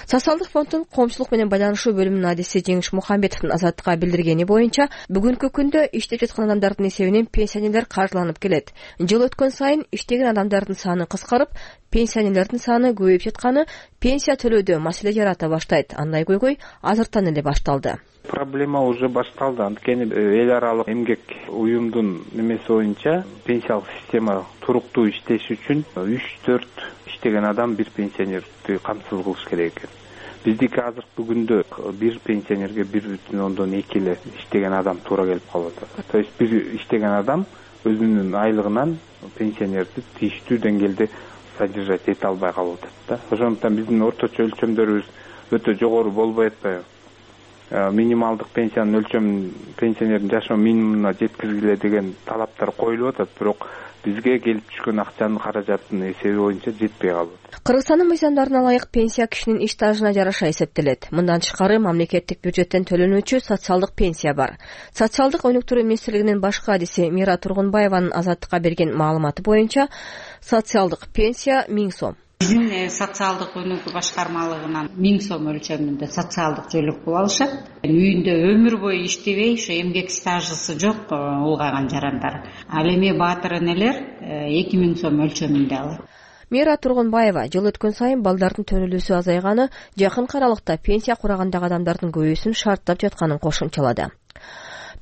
Социалдык фонддун коомчулук менен байланышуу бөлүмүнүн адиси Жеңиш Мухамбетовдун Азаттыкка билдиргени боюнча, бүгүнкү күндө иштеп жаткан адамдардын эсебинен пенсионерлер каржыланып келет. Жыл өткөн сайын иштеген адамдардын саны кыскарып, пенсионерлердин саны көбөйүп жатканы пенсия төлөөдө маселе жарата баштайт. Андай көйгөй азыртан эле башталды. Проблема уже башталды. Анткени эл аралык эмгек уюмдун немеси боюнча пенсиялык система туруктуу иштеш үчүн үч төрт иштеген адам бир пенсионерди камсыз кылыш керек экен. Биздики азыркы күндө бир пенсионерге бир бүтүн ондон эки эле иштеген адам туура келип калып атат. То есть бир иштеген адам өзүнүн айлыгынан пенсионерди тийиштүү деңгээлде содержать эте албай калып атат да. Ошондуктан биздин орточо өлчөмдөрүбүз өтө жогору болбой атпайбы? Минималдык пенсиянын өлчөмүн пенсионердин жашоо минимумуна жеткиргиле деген талаптар коюлуп атат, бирок бизге келип түшкөн акчанын каражатынын эсеби боюнча жетпей калып атат. Кыргызстандын мыйзамдарына ылайык пенсия кишинин иш стажына жараша эсептелет. Мындан тышкары мамлекеттик бюджеттен төлөнүүчү социалдык пенсия бар. Социалдык өнүктүрүү министрлигинин башкы адиси Мира Тургунбаеванын Азаттыкка берген маалыматы боюнча социалдык пенсия миң сом. Биздин социалдык өнүгүү башкармалыгынан миң сом өлчөмүндө социалдык жөлөк пул алышат. Үйүндө өмүр бою иштебей, ошо эмгек стажысы жок улгайган жарандар. Ал эми баатыр энелер эки миң сом өлчөмүндө алат. Мира Тургунбаева жыл өткөн сайын балдардын төрөлүүсү азайганы, жакынкы аралыкта пенсия курагандагы адамдардын көбөйүүсүн шарттап жатканын кошумчалады.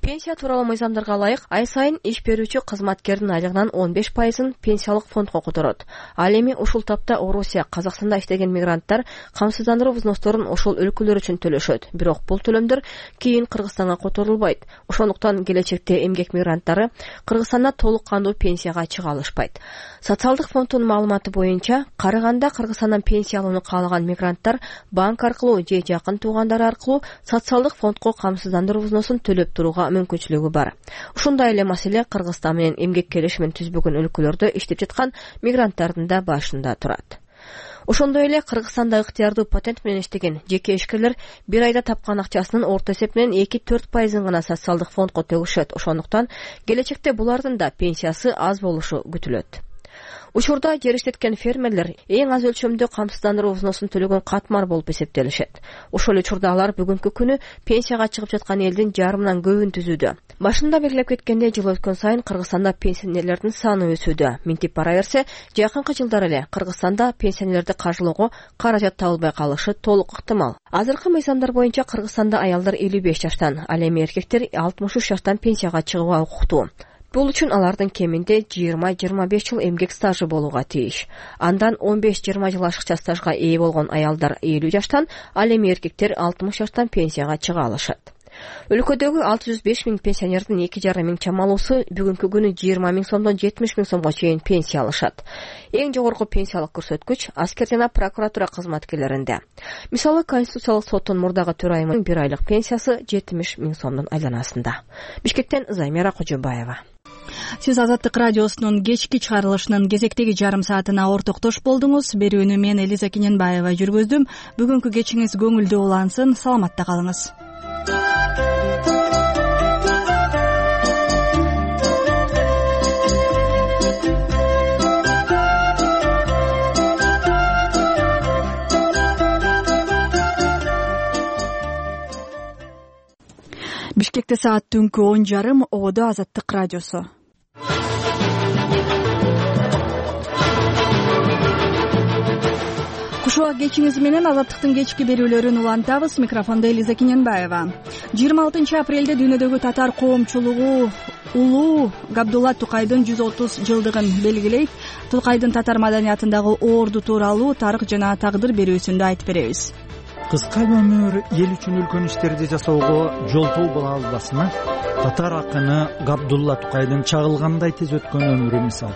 Пенсия тууралуу мыйзамдарга ылайык ай сайын иш берүүчү кызматкердин айлыгынан он беш пайызын пенсиялык фондко которот. Ал эми ушул тапта Орусия, Казакстанда иштеген мигранттар камсыздандыруу взносторун ошол өлкөлөр үчүн төлөшөт. Бирок бул төлөмдөр кийин Кыргызстанга которулбайт. Ошондуктан келечекте эмгек мигранттары Кыргызстанда толук кандуу пенсияга чыга алышпайт. Социалдык фонддун маалыматы боюнча, карыганда Кыргызстандан пенсия алууну каалаган мигранттар банк аркылуу же жакын туугандары аркылуу социалдык фондко камсыздандыруу взносун төлөп турууга мүмкүнчүлүгү бар. Ушундай эле маселе Кыргызстан менен эмгек келишимин түзбөгөн өлкөлөрдө иштеп жаткан мигранттардын да башында турат. Ошондой эле Кыргызстанда ыктыярдуу патент менен иштеген жеке ишкерлер бир айда тапкан акчасынын орто эсеп менен эки төрт пайызын гана социалдык фондко төгүшөт. Ошондуктан келечекте булардын да пенсиясы аз болушу күтүлөт. Учурда жер иштеткен фермерлер эң аз өлчөмдө камсыздандыруу взносун төлөгөн катмар болуп эсептелишет. Ошол учурда алар бүгүнкү күнү пенсияга чыгып жаткан элдин жарымынан көбүн түзүүдө. Башында белгилеп кеткендей, жыл өткөн сайын Кыргызстанда пенсионерлердин саны өсүүдө. Минтип бара берсе, жакынкы жылдары эле Кыргызстанда пенсионерлерди каржылоого каражат табылбай калышы толук ыктымал. Азыркы мыйзамдар боюнча Кыргызстанда аялдар элүү беш жаштан, ал эми эркектер алтымыш үч жаштан пенсияга чыгууга укуктуу. Бул үчүн алардын кеминде жыйырма жыйырма беш жыл эмгек стажы болууга тийиш. Андан он беш жыйырма жыл ашыкча стажга ээ болгон аялдар элүү жаштан, ал эми эркектер алтымыш жаштан пенсияга чыга алышат. Өлкөдөгү алты жүз беш миң пенсионердин эки жарым миң чамалуусу бүгүнкү күнү жыйырма миң сомдон жетимиш миң сомго чейин пенсия алышат. Эң жогорку пенсиялык көрсөткүч аскер жана прокуратура кызматкерлеринде. Мисалы, Конституциялык соттун мурдагы төрайымынын бир айлык пенсиясы жетимиш миң сомдун айланасында. Бишкектен Займира Кожобаева. Сиз Азаттык радиосунун кечки чыгарылышынын кезектеги жарым саатына ортоктош болдуңуз. Берүүнү мен Элиза Кененбаева жүргүздүм. Бүгүнкү кечиңиз көңүлдүү улансын. Саламатта калыңыз. Бишкекте саат түнкү он жарым, Ободо Азаттык радиосу. Кушубак кечиңиз менен Азаттыктын кечки берүүлөрүн улантабыз. Микрофондо Элиза Кененбаева. жыйырма алтынчы апрелде дүйнөдөгү татар коомчулугу улуу Габдулла Тукайдын жүз отуз жылдыгын белгилейт. Тукайдын татар маданиятындагы орду тууралуу тарых жана тагдыр берүүсүндө айтып беребиз. Кыска өмүр эл үчүн үлкөн иштерди жасоого жолтоо боло албасына татар акыны Габдулла Тукайдын чагылгандай тез өткөн өмүрү мисал.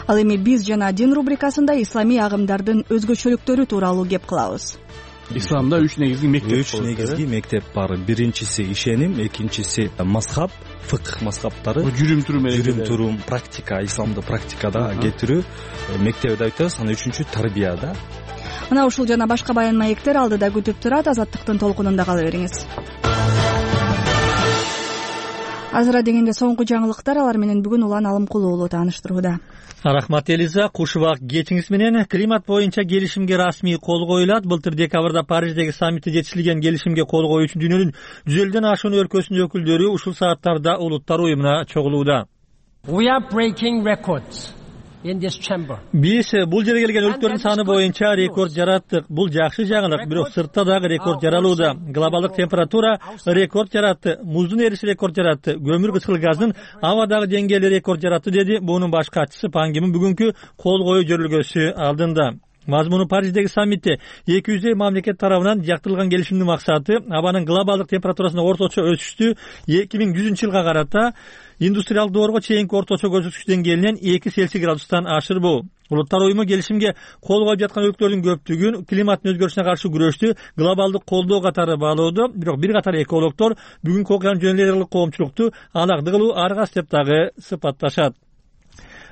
Ал эми биз жана дин рубрикасында исламий агымдардын өзгөчөлүктөрү тууралуу кеп кылабыз. Исламда үч негизги мектеп үч негизги мектеп бар. Биринчиси ишеним, экинчиси мазхаб, фыкх мазхабтары. Жүрүм турум жүрүм турум, практика, исламды практикада кетирүү мектеби деп айтабыз. Анан үчүнчү тарбия да. Мына ушул жана башка баян маектер алдыда күтүп турат. Азаттыктын толкунунда кала бериңиз. Азыра дегенде соңку жаңылыктар, алар менен бүгүн Улан Алымкулуу уулу тааныштырууда. Рахмат Элиза. Кушубак кечиңиз менен климат боюнча келишимге расмий кол коюлат. Былтыр декабрда Париждеги саммитте жетишилген келишимге кол коюу үчүн дүйнөнүн жүз элүүдөн ашуун өлкөсүнүн өкүлдөрү ушул сааттарда Улуттар уюмуна чогулууда. We are breaking records in this chamber. Биз бул жерге келген өлкөлөрдүн саны боюнча рекорд жараттык. Бул жакшы жаңылык, бирок сыртта дагы рекорд жаралууда. Глобалдык температура рекорд жаратты, муздун эриши рекорд жаратты, көмүр кычкыл газдын абадагы деңгээли рекорд жаратты, деди бунун баш катчысы Пан Ги Мун бүгүнкү кол коюу жөрөлгөсү алдында. Мазмуну Париждеги саммитте эки жүздөй мамлекет тарабынан жактырылган келишимдин максаты абанын глобалдык температурасынын орточо өсүштү эки миң жүзүнчү жылга карата индустриалдык доорго чейинки орточо көрсөткүч деңгээлинен эки Цельсий градустан ашырбоо. Улуттар уюму келишимге кол коюп жаткан өлкөлөрдүн көптүгүн климаттын өзгөрүшүнө каршы күрөштү глобалдык колдоо катары баалоодо. Бирок бир катар экологдор бүгүнкү окуянын жөн эле коомчулукту алакты кылуу аргас деп дагы сыпатташат.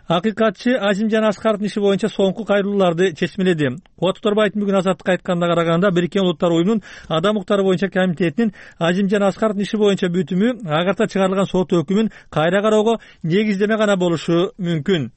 Акыйкатчы Азимжан Аскаровдун иши боюнча соңку кайрылууларды чечмеледи. Кубат Оторбаевдин бүгүн Азаттыкка айтканына караганда Бириккен Улуттар уюмунун адам укуктары боюнча комитетинин Азимжан Аскаровдун иши боюнча бүтүмү агарта чыгарылган сот өкүмүн кайра кароого негиздеме гана болушу мүмкүн.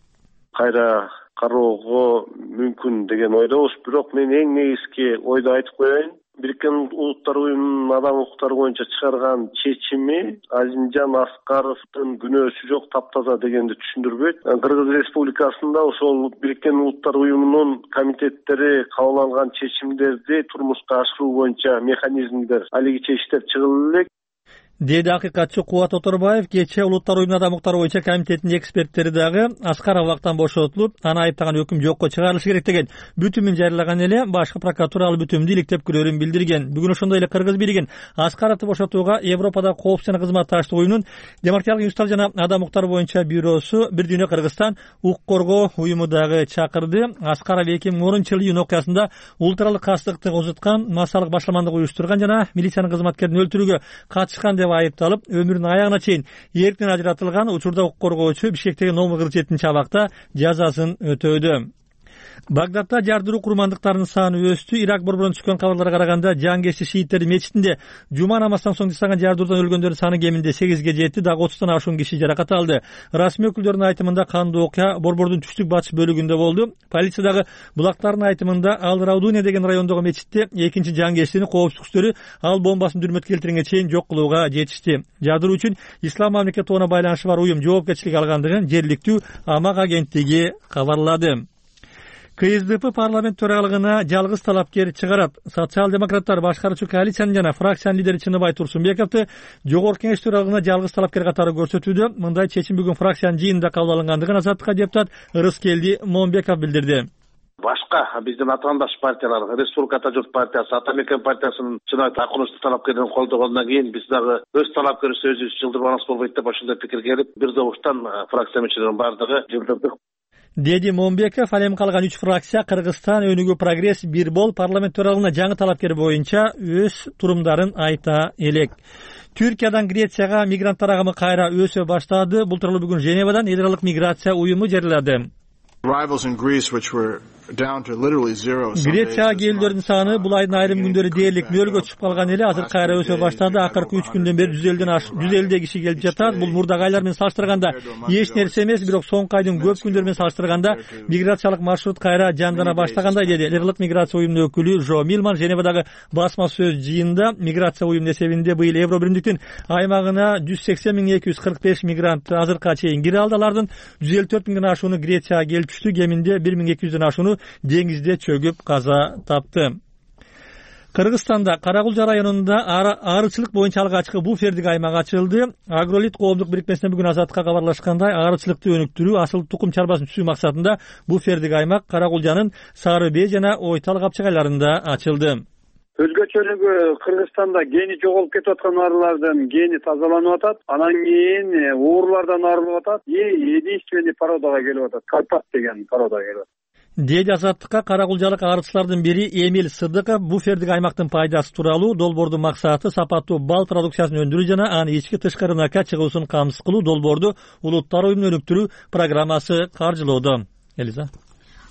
Кайра кароого мүмкүн деген ойдобуз, бирок мен эң негизги ойду айтып коеюн. Бириккен Улуттар уюмунун адам укуктары боюнча чыгарган чечими Азимжан Аскаровдун күнөөсү жок, таптаза дегенди түшүндүрбөйт. Кыргыз Республикасында ошол Бириккен Улуттар уюмунун комитеттери кабыл алган чечимдерди турмушка ашыруу боюнча механизмдер, алиги чечиштер чыгылып элек, деди акыйкатчы Кубат Оторбаев. Кечээ Улуттар уюмунун адам укуктары боюнча комитетинин эксперттери дагы Аскаров абактан бошотулуп, аны айыптаган өкүм жокко чыгарылышы керек деген бүтүмүн жарыялаган эле башкы прокуратура ал бүтүмдү иликтеп көрөрүн билдирген. Бүгүн ошондой эле Кыргыз бийлигин Аскаровду бошотууга Европада коопсуз жана кызматташтык уюмунун демократиялык институттар жана адам укуктары боюнча бюросу Бир дүйнө Кыргызстан укук коргоо уюму дагы чакырды. Аскаров эки миң онунчу жылы июнь окуясында улуттаралык кастыктык узуткан, массалык башламандык уюштурган жана милициянын кызматкерин өлтүрүүгө катышкан деп айыпталып, өмүрүнүн аягына чейин эрктен ажыратылган. Учурда укук коргоочу Бишкектеги номер кырк жетинчи абакта жазасын өтөөдө. Багдадда жардыруу курмандыктарынын саны өстү. Ирак борборунан түшкөн кабарларга караганда жангешчи шииттердин мечитинде жума намаздан соң жасаган жардыруудан өлгөндөрдүн саны кеминде сегизге жетти, дагы отуздан ашуун киши жаракат алды. Расмий өкүлдөрдүн айтымында кандуу окуя борбордун түштүк батыш бөлүгүндө болду. Полициядагы булактардын айтымында Ал Раудуния деген райондогу мечитте экинчи жангештини коопсуздук күчтөрү ал бомбасын дүрмөт келтиргенге чейин жок кылууга жетишти. Жардыруу үчүн Ислам мамлекети тобуна байланышы бар уюм жоопкерчилик алгандыгын жергиликтүү Амак агенттиги кабарлады. КСДП парламент төрагалыгына жалгыз талапкер чыгарат. Социал-демократтар башкаруучу коалициянын жана фракциянын лидери Чыныбай Турсунбековду жогорку кеңеш төрагалыгына жалгыз талапкер катары көрсөтүүдө. Мындай чечим бүгүн фракциянын жыйынында кабыл алынгандыгын Азаттыкка депутат Ырыскелди Момбеков билдирди. Башка биздин атаандаш партиялар, Республикада журт партиясы, Ата Мекен партиясынын чынайы такынычтуу талапкерин колдогондон кийин биз дагы өз талапкерибизди өзүбүз жылдырбаныбыз болбойт деп ошондой пикир келип, бир добуштан фракция мүчөлөрүнүн баардыгы жылдырдык, деди Момбеков. Ал эми калган үч фракция Кыргызстан өнүгүү прогресс бир бол парламент төралыгына жаңы талапкер боюнча өз турумдарын айта элек. Түркиядан Грецияга мигранттар агымы кайра өсө баштады. Бул тууралуу бүгүн Женевадан эл аралык миграция уюму жарыялады. Грецияга келүүлөрдүн саны бул айдын айрым күндөрү дээрлик нөлгө түшүп калган эле азыр кайра өсө баштады. Акыркы үч күндөн бери жүз элүүдөн аш жүз элүүдөй киши келип жатат. Бул мурдагы айлар менен салыштырганда эч нерсе эмес, бирок соңку айдын көп күндөрү менен салыштырганда миграциялык маршрут кайра жандана баштагандай, деди эл аралык миграция уюмунун өкүлү Жо Милман Женевадагы басма сөз жыйынында. Миграция уюмунун эсебинде быйыл Евро биримдиктин аймагына жүз сексен миң эки жүз кырк беш мигрант азыркыга чейин кире алды. Алардын жүз элүү төрт миңден ашууну Грецияга келип түштү. Кеминде бир миң эки жүздөн ашууну деңизде чөгүп каза тапты. Кыргызстанда Каракулжа районунда аарычылык боюнча алгачкы буфердик аймак ачылды. Агролит коомдук бирикмесинен бүгүн Азаттыкка кабарлашкандай, аарычылыкты өнүктүрүү, асыл тукум чарбасын түзүү максатында буфердик аймак Каракулжанын Сары Бээ жана Ойтал капчыгайларында ачылды. Өзгөчөлүгү Кыргызстанда гени жоголуп кетип аткан арылардын гени тазаланып атат. Анан кийин уурлардан арылып атат. Единственный породага келип атат. Карпат деген породага келип атат. Деди Азаттыкка каракулжалык арычылардын бири Эмил Сыдыков буфердик аймактын пайдасы тууралуу. Долбоордун максаты сапаттуу бал продукциясын өндүрүү жана аны ички тышкы рынокко чыгуусун камсыз кылуу. Долбоорду Улуттар уюмунун өнүктүрүү программасы каржылоодо. Элиза.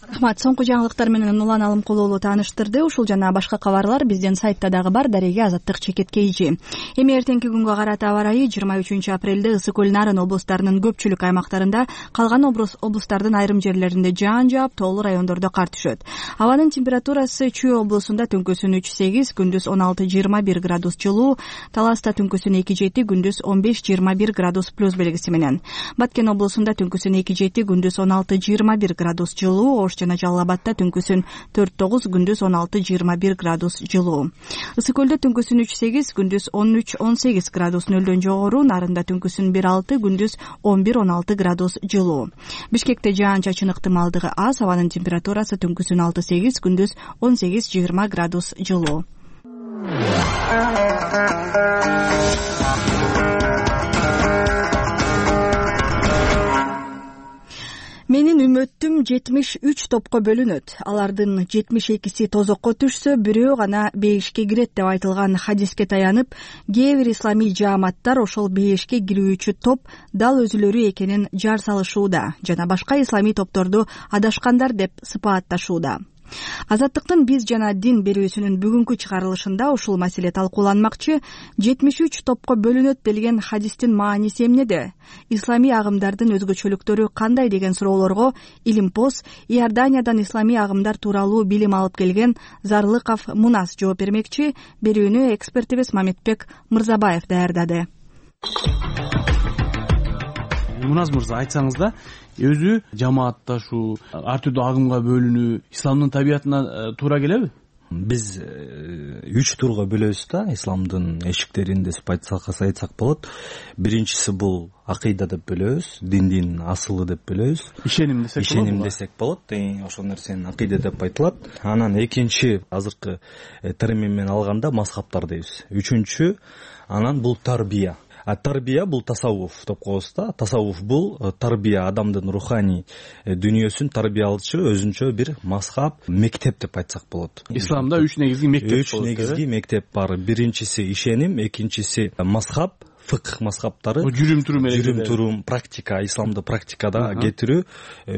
Рахмат. Соңку жаңылыктар менен Улан Алымкулуулу тааныштырды. Ушул жана башка кабарлар биздин сайтта дагы бар. Дареге Азаттык чекиткейчи. Эми эртеңки күнгө карата аба ырайы жыйырма үчүнчү апрелде Ысык көл Нарын облустарынын көпчүлүк аймактарында, калган облустардын айрым жерлеринде жаан жаап, тоолуу райондордо кар түшөт. Абанын температурасы Чүй облусунда түнкүсүн үч сегиз, күндүз он алты жыйырма бир градус жылуу, Таласта түнкүсүн эки жети, күндүз он беш жыйырма бир градус плюс белгиси менен. Баткен облусунда түнкүсүн эки жети, күндүз он алты жыйырма бир градус жылуу, жана Жалал Абадта түнкүсүн төрт тогуз, күндүз он алты жыйырма бир градус жылуу. Ысык көлдө түнкүсүн үч сегиз, күндүз он үч он сегиз градус нөлдөн жогору, Нарында түнкүсүн бир алты, күндүз он бир он алты градус жылуу. Бишкекте жаан-чачын ыктымалдыгы аз, абанын температурасы түнкүсүн алты сегиз, күндүз он сегиз жыйырма градус жылуу. Менин үмөттүм жетимиш үч топко бөлүнөт. Алардын жетимиш экиси тозокко түшсө, бирөө гана бейишке кирет деп айтылган хадиске таянып, кээ бир исламий жааматтар ошол бейишке кирүүчү топ дал өзүлөрү экенин жар салышууда жана башка исламий топторду адашкандар деп сыпаатташууда. Азаттыктын биз жана дин берүүсүнүн бүгүнкү чыгарылышында ушул маселе талкууланмакчы. жетимиш үч топко бөлүнөт делген хадистин мааниси эмнеде? Исламий агымдардын өзгөчөлүктөрү кандай деген суроолорго Илимпоз Иорданиядан исламий агымдар тууралуу билим алып келген Зарлыков Мунас жооп бермекчи. Берүүнү экспертибиз Мамедбек Мырзабаев даярдады. Муназ мырза, айтсаңыз да, өзү жамаатташуу, ар түрдүү агымга бөлүнүү исламдын табиятына туура келеби? Биз үч турга бөлөбүз да, исламдын эшиктерин деп айтсак болот. Биринчиси бул акыйда деп бөлөбүз, диндин асылы деп бөлөбүз. Ишеним десек болот. Ишеним десек болот. Ошол нерсени акыйда деп айтылат. Анан экинчи азыркы термин менен алганда мазхабтар дейбиз. Үчүнчү анан бул тарбия. А тарбия бул тасаввуф деп коебуз да. Тасаввуф бул тарбия, адамдын руханий дүйнөсүн тарбиялаучу өзүнчө бир мазхаб, мектеп деп айтсак болот. Исламда үч негизги мектеп Үч негизги мектеп бар. Биринчиси ишеним, экинчиси мазхаб, фыкх мазхабтары, жүрүм турум жүрүм турум, практика, исламды практикада кетирүү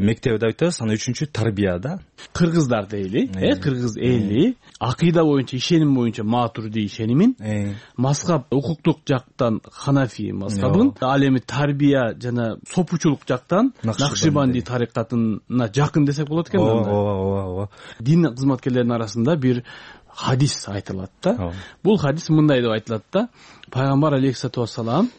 мектеби деп айтабыз. Анан үчүнчү тарбия да. Кыргыздар дейли, э, кыргыз эли акыйда боюнча, ишеним боюнча матурди ишенимин, мазхаб укуктук жактан Ханафи мазхабын, ал эми тарбия жана сопучулук жактан Накшибанди тарикатына жакын десек болот экен. Ооба, ооба, ооба. Дин кызматкерлеринин арасында бир хадис айтылат да. Бул хадис мындай деп айтылат да. Пайгамбар алейхиссалату вассалам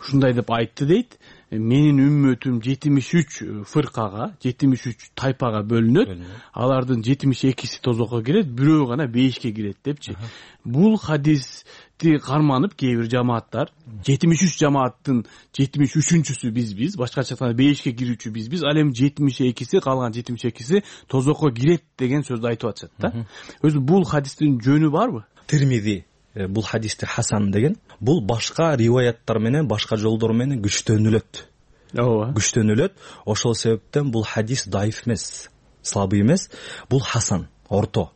ушундай деп айтты дейт. менин үммөтүм жетимиш үч фыркага, жетимиш үч тайпага бөлүнөт, алардын жетимиш экиси тозокко кирет, бирөө гана бейишке кирет депчи. Бул хадисти карманып кээ бир жамааттар жетимиш үч жамааттын жетимиш үчүнчүсү бизбиз, башкача айтканда бейишке кирүүчү бизбиз, ал эми жетимиш экиси, калган жетимиш экиси тозокко кирет деген сөздү айтып атышат да. Өзү бул хадистин жөнү барбы? Тирмизи бул хадисти хасан деген, бул башка риваяттар менен, башка жолдор менен күчтөнүлөт. Ооба. Күчтөнүлөт. Ошол себептен бул хадис даиф эмес, слабый эмес, бул хасан, орто.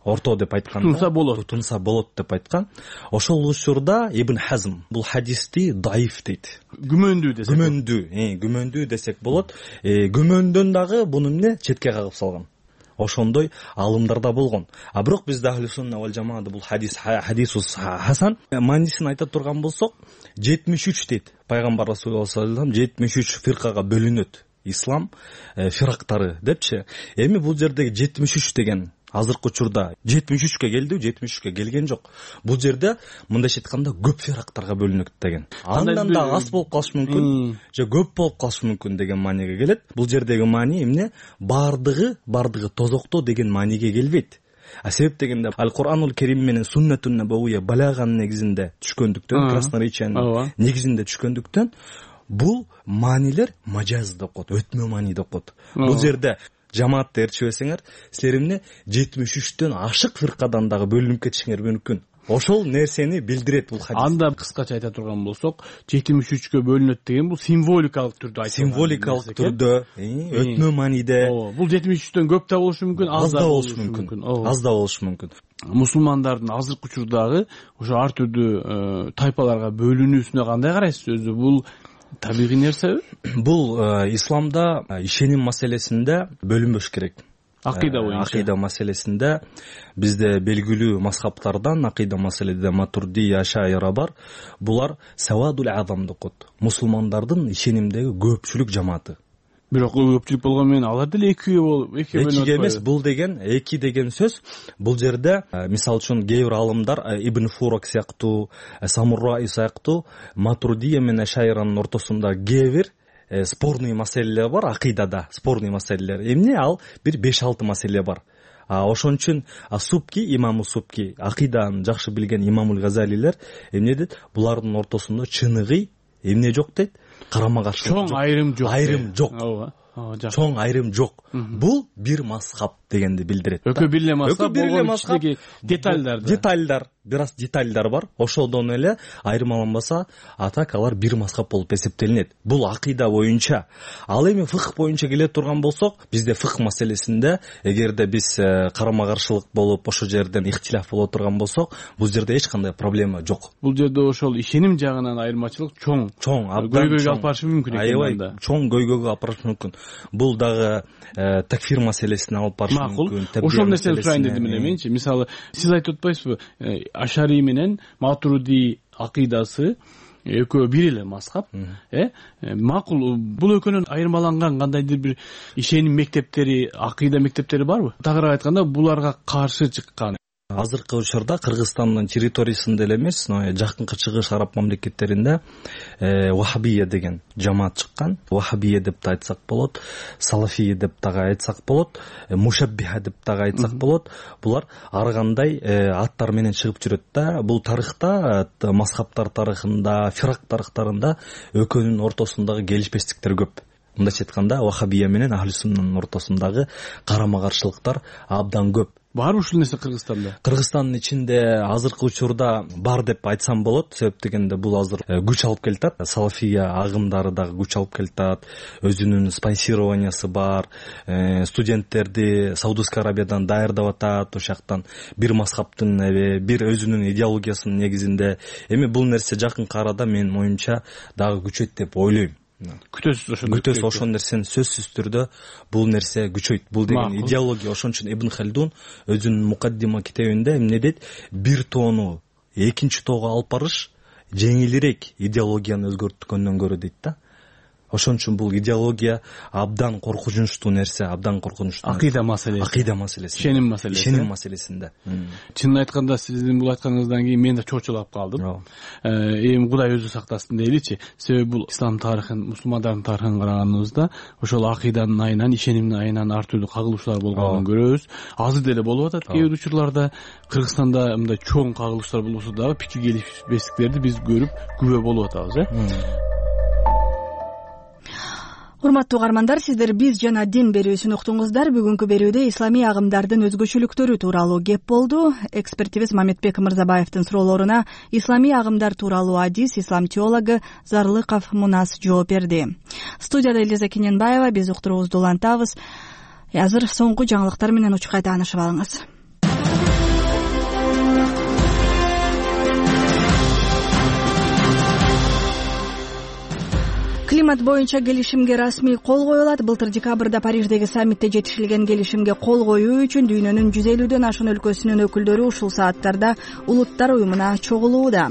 Орто деп айтканда, тутунса болот. Тутунса болот деп айткан. Ошол учурда Ибн Хазм бул хадисти даиф дейт. Күмөндүү десек. Күмөндүү, э, күмөндүү десек болот. Э, күмөндөн дагы буну эмне четке кагып салган. Ошондой алымдарда болгон. А бирок бизде ахли сунна вал жамаада бул хадис хадисус хасан маанисин айта турган болсок, жетимиш үч дейт. Пайгамбар Расулуллах саллаллаху алейхи вассалам жетимиш үч фиркага бөлүнөт. Ислам фирактары депчи. Эми бул жердеги жетимиш үч деген азыркы учурда жетимиш үчкө келди, жетимиш үчкө келген жок. Бул жерде мындайча айтканда көп фирактарга бөлүнөт деген. Андан да аз болуп калышы мүмкүн, же көп болуп калышы мүмкүн деген мааниге келет. Бул жердеги маани эмне? Бардыгы, бардыгы тозокто деген мааниге келбейт. А себеп дегенде Ал-Куранул Керим менен Суннатун Набавия балаганын негизинде түшкөндүктөн, красноречиянын негизинде түшкөндүктөн бул маанилер мажаз деп коет, өтмө маани деп коет. Бул жерде жамаатты ээрчибесеңер, силер эмне жетимиш үчтөн ашык фиркадан дагы бөлүнүп кетишиңер мүмкүн. Ошол нерсени билдирет бул хадис. Анда кыскача айта турган болсок, жетимиш үчкө бөлүнөт деген бул символикалык түрдө айтылган. Символикалык түрдө, өтмө мааниде. Бул жетимиш үчтөн көп да болушу мүмкүн, аз да болушу мүмкүн. Аз да болушу мүмкүн. Мусулмандардын азыркы учурдагы ошо ар түрдүү тайпаларга бөлүнүүсүнө кандай карайсыз өзү? Бул табигый нерсеби? Бул исламда ишеним маселесинде бөлүнбөш керек. Акыйда боюнча. Акыйда маселесинде бизде белгилүү мазхабтардан акыйда маселеде Матурди, Ашайра бар. Булар савадул азам деп коет. Мусулмандардын ишенимдеги көпчүлүк жамааты. Бирок көпчүлүк болгону менен алар деле экиге болуп, экиге бөлүнөт. Экиге эмес, бул деген эки деген сөз. Бул жерде мисалы үчүн кээ бир алымдар Ибн Фурак сыяктуу, Самурраи сыяктуу Матурдия менен Ашайранын ортосунда кээ бир спорный маселелер бар, акыйдада спорный маселелер. Эмне ал бир беш алты маселе бар. А ошон үчүн Субки, имаму Субки, акыйданы жакшы билген имамул Газалилер эмне дейт? Булардын ортосунда чыныгый эмне жок дейт? Карама каршылык. Чоң айрым жок. Айрым жок. Чоң айрым жок. Бул бир мазхаб дегенди билдирет. Экөө бир эле мазхаб, болгон ичиндеги детальдар. Детальдар, бир аз детальдар бар. Ошодон эле айырмаланбаса, атак алар бир мазхаб болуп эсептелинет. Бул акыйда боюнча. Ал эми фыкх боюнча келе турган болсок, бизде фыкх маселесинде эгерде биз карама каршылык болуп ошол жерден ихтилаф боло турган болсок, бул жерде эч кандай проблема жок. Бул жерде ошол ишеним жагынан айырмачылык чоң. Чоң, көйгөйгө алып барышы мүмкүн экен анда. Чоң көйгөйгө алып барышы мүмкүн. Бул дагы такфир маселесине алып барышы мүмкүн. Ошол нерсени сурайын дедим эле менчи. Мисалы, сиз айтып атпайсызбы, Ашари менен Матуриди акыйдасы экөө бир эле мазхаб, э? Макул, бул экөөнүн айырмаланган кандайдыр бир ишеним мектептери, акыйда мектептери барбы? Тагыраак айтканда, буларга каршы чыккан. Азыркы учурда Кыргызстандын территориясында эле эмес, жакынкы чыгыш араб мамлекеттеринде Вахабия деген жамаат чыккан. Вахабия деп да айтсак болот, Салафия деп дагы айтсак болот, Мушаббиха деп дагы айтсак болот. Булар ар кандай аттар менен чыгып жүрөт да. Бул тарыхта, мазхабтар тарыхында, фирак тарыхтарында экөөнүн ортосундагы келишпестиктер көп. Мындайча айтканда, Вахабия менен Ахли Суннанын ортосундагы карама каршылыктар абдан көп. Барбы ушул нерсе Кыргызстанда? Кыргызстандын ичинде азыркы учурда бар деп айтсам болот. Себеп дегенде бул азыр күч алып келатат. Салафия агымдары дагы күч алып келатат. Өзүнүн спонсированиясы бар. Студенттерди Саудовский Арабиядан даярдап атат. Ошол жактан бир мазхабтын, бир өзүнүн идеологиясынын негизинде. Эми бул нерсе жакынкы арада менин оюмча дагы күчөйт деп ойлойм. Күтөсүз ошондо. Күтөсүз ошол нерсени сөзсүз түрдө бул нерсе күчөйт. Бул деген идеология. Ошон үчүн Ибн Халдун өзүнүн Мукаддима китебинде эмне дейт? Бир тоону экинчи тоого алып барыш жеңилирээк идеологияны өзгөрткөндөн көрө дейт да. ошон үчүн бул идеология абдан коркунучтуу нерсе, абдан коркунучтуу акыйда маселеси, акыйда маселеси, ишеним маселеси, ишеним маселесинде. Чынын айтканда сиздин бул айтканыңыздан кийин мен да чочулап калдым. Эми Кудай өзү сактасын дейличи. Себеби бул ислам тарыхын, мусулмандардын тарыхын караганыбызда ошол акыйданын айынан, ишенимдин айынан ар түрдүү кагылышуулар болгонун көрөбүз. Азыр деле болуп атат кээ бир учурларда. Кыргызстанда мындай чоң кагылыштар болбосо дагы пикир келишпестиктерди биз көрүп күбө болуп атабыз, э. Урматтуу угармандар, сиздер биз жана дин берүүсүн уктуңуздар. Бүгүнкү берүүдө исламий агымдардын өзгөчөлүктөрү тууралуу кеп болду. Экспертибиз Мамедбек Мырзабаевдин суроолоруна исламий агымдар тууралуу адис ислам теологу Зарлыков Мунас жооп берди. Студияда Элиза Кененбаева, биз уктуруубузду улантабыз. Азыр соңку жаңылыктар менен учкай таанышып алыңыз. Климат боюнча келишимге расмий кол коюлат. Былтыр декабрда Париждеги саммитте жетишилген келишимге кол коюу үчүн дүйнөнүн жүз элүүдөн ашуун өлкөсүнүн өкүлдөрү ушул сааттарда Улуттар уюмуна чогулууда.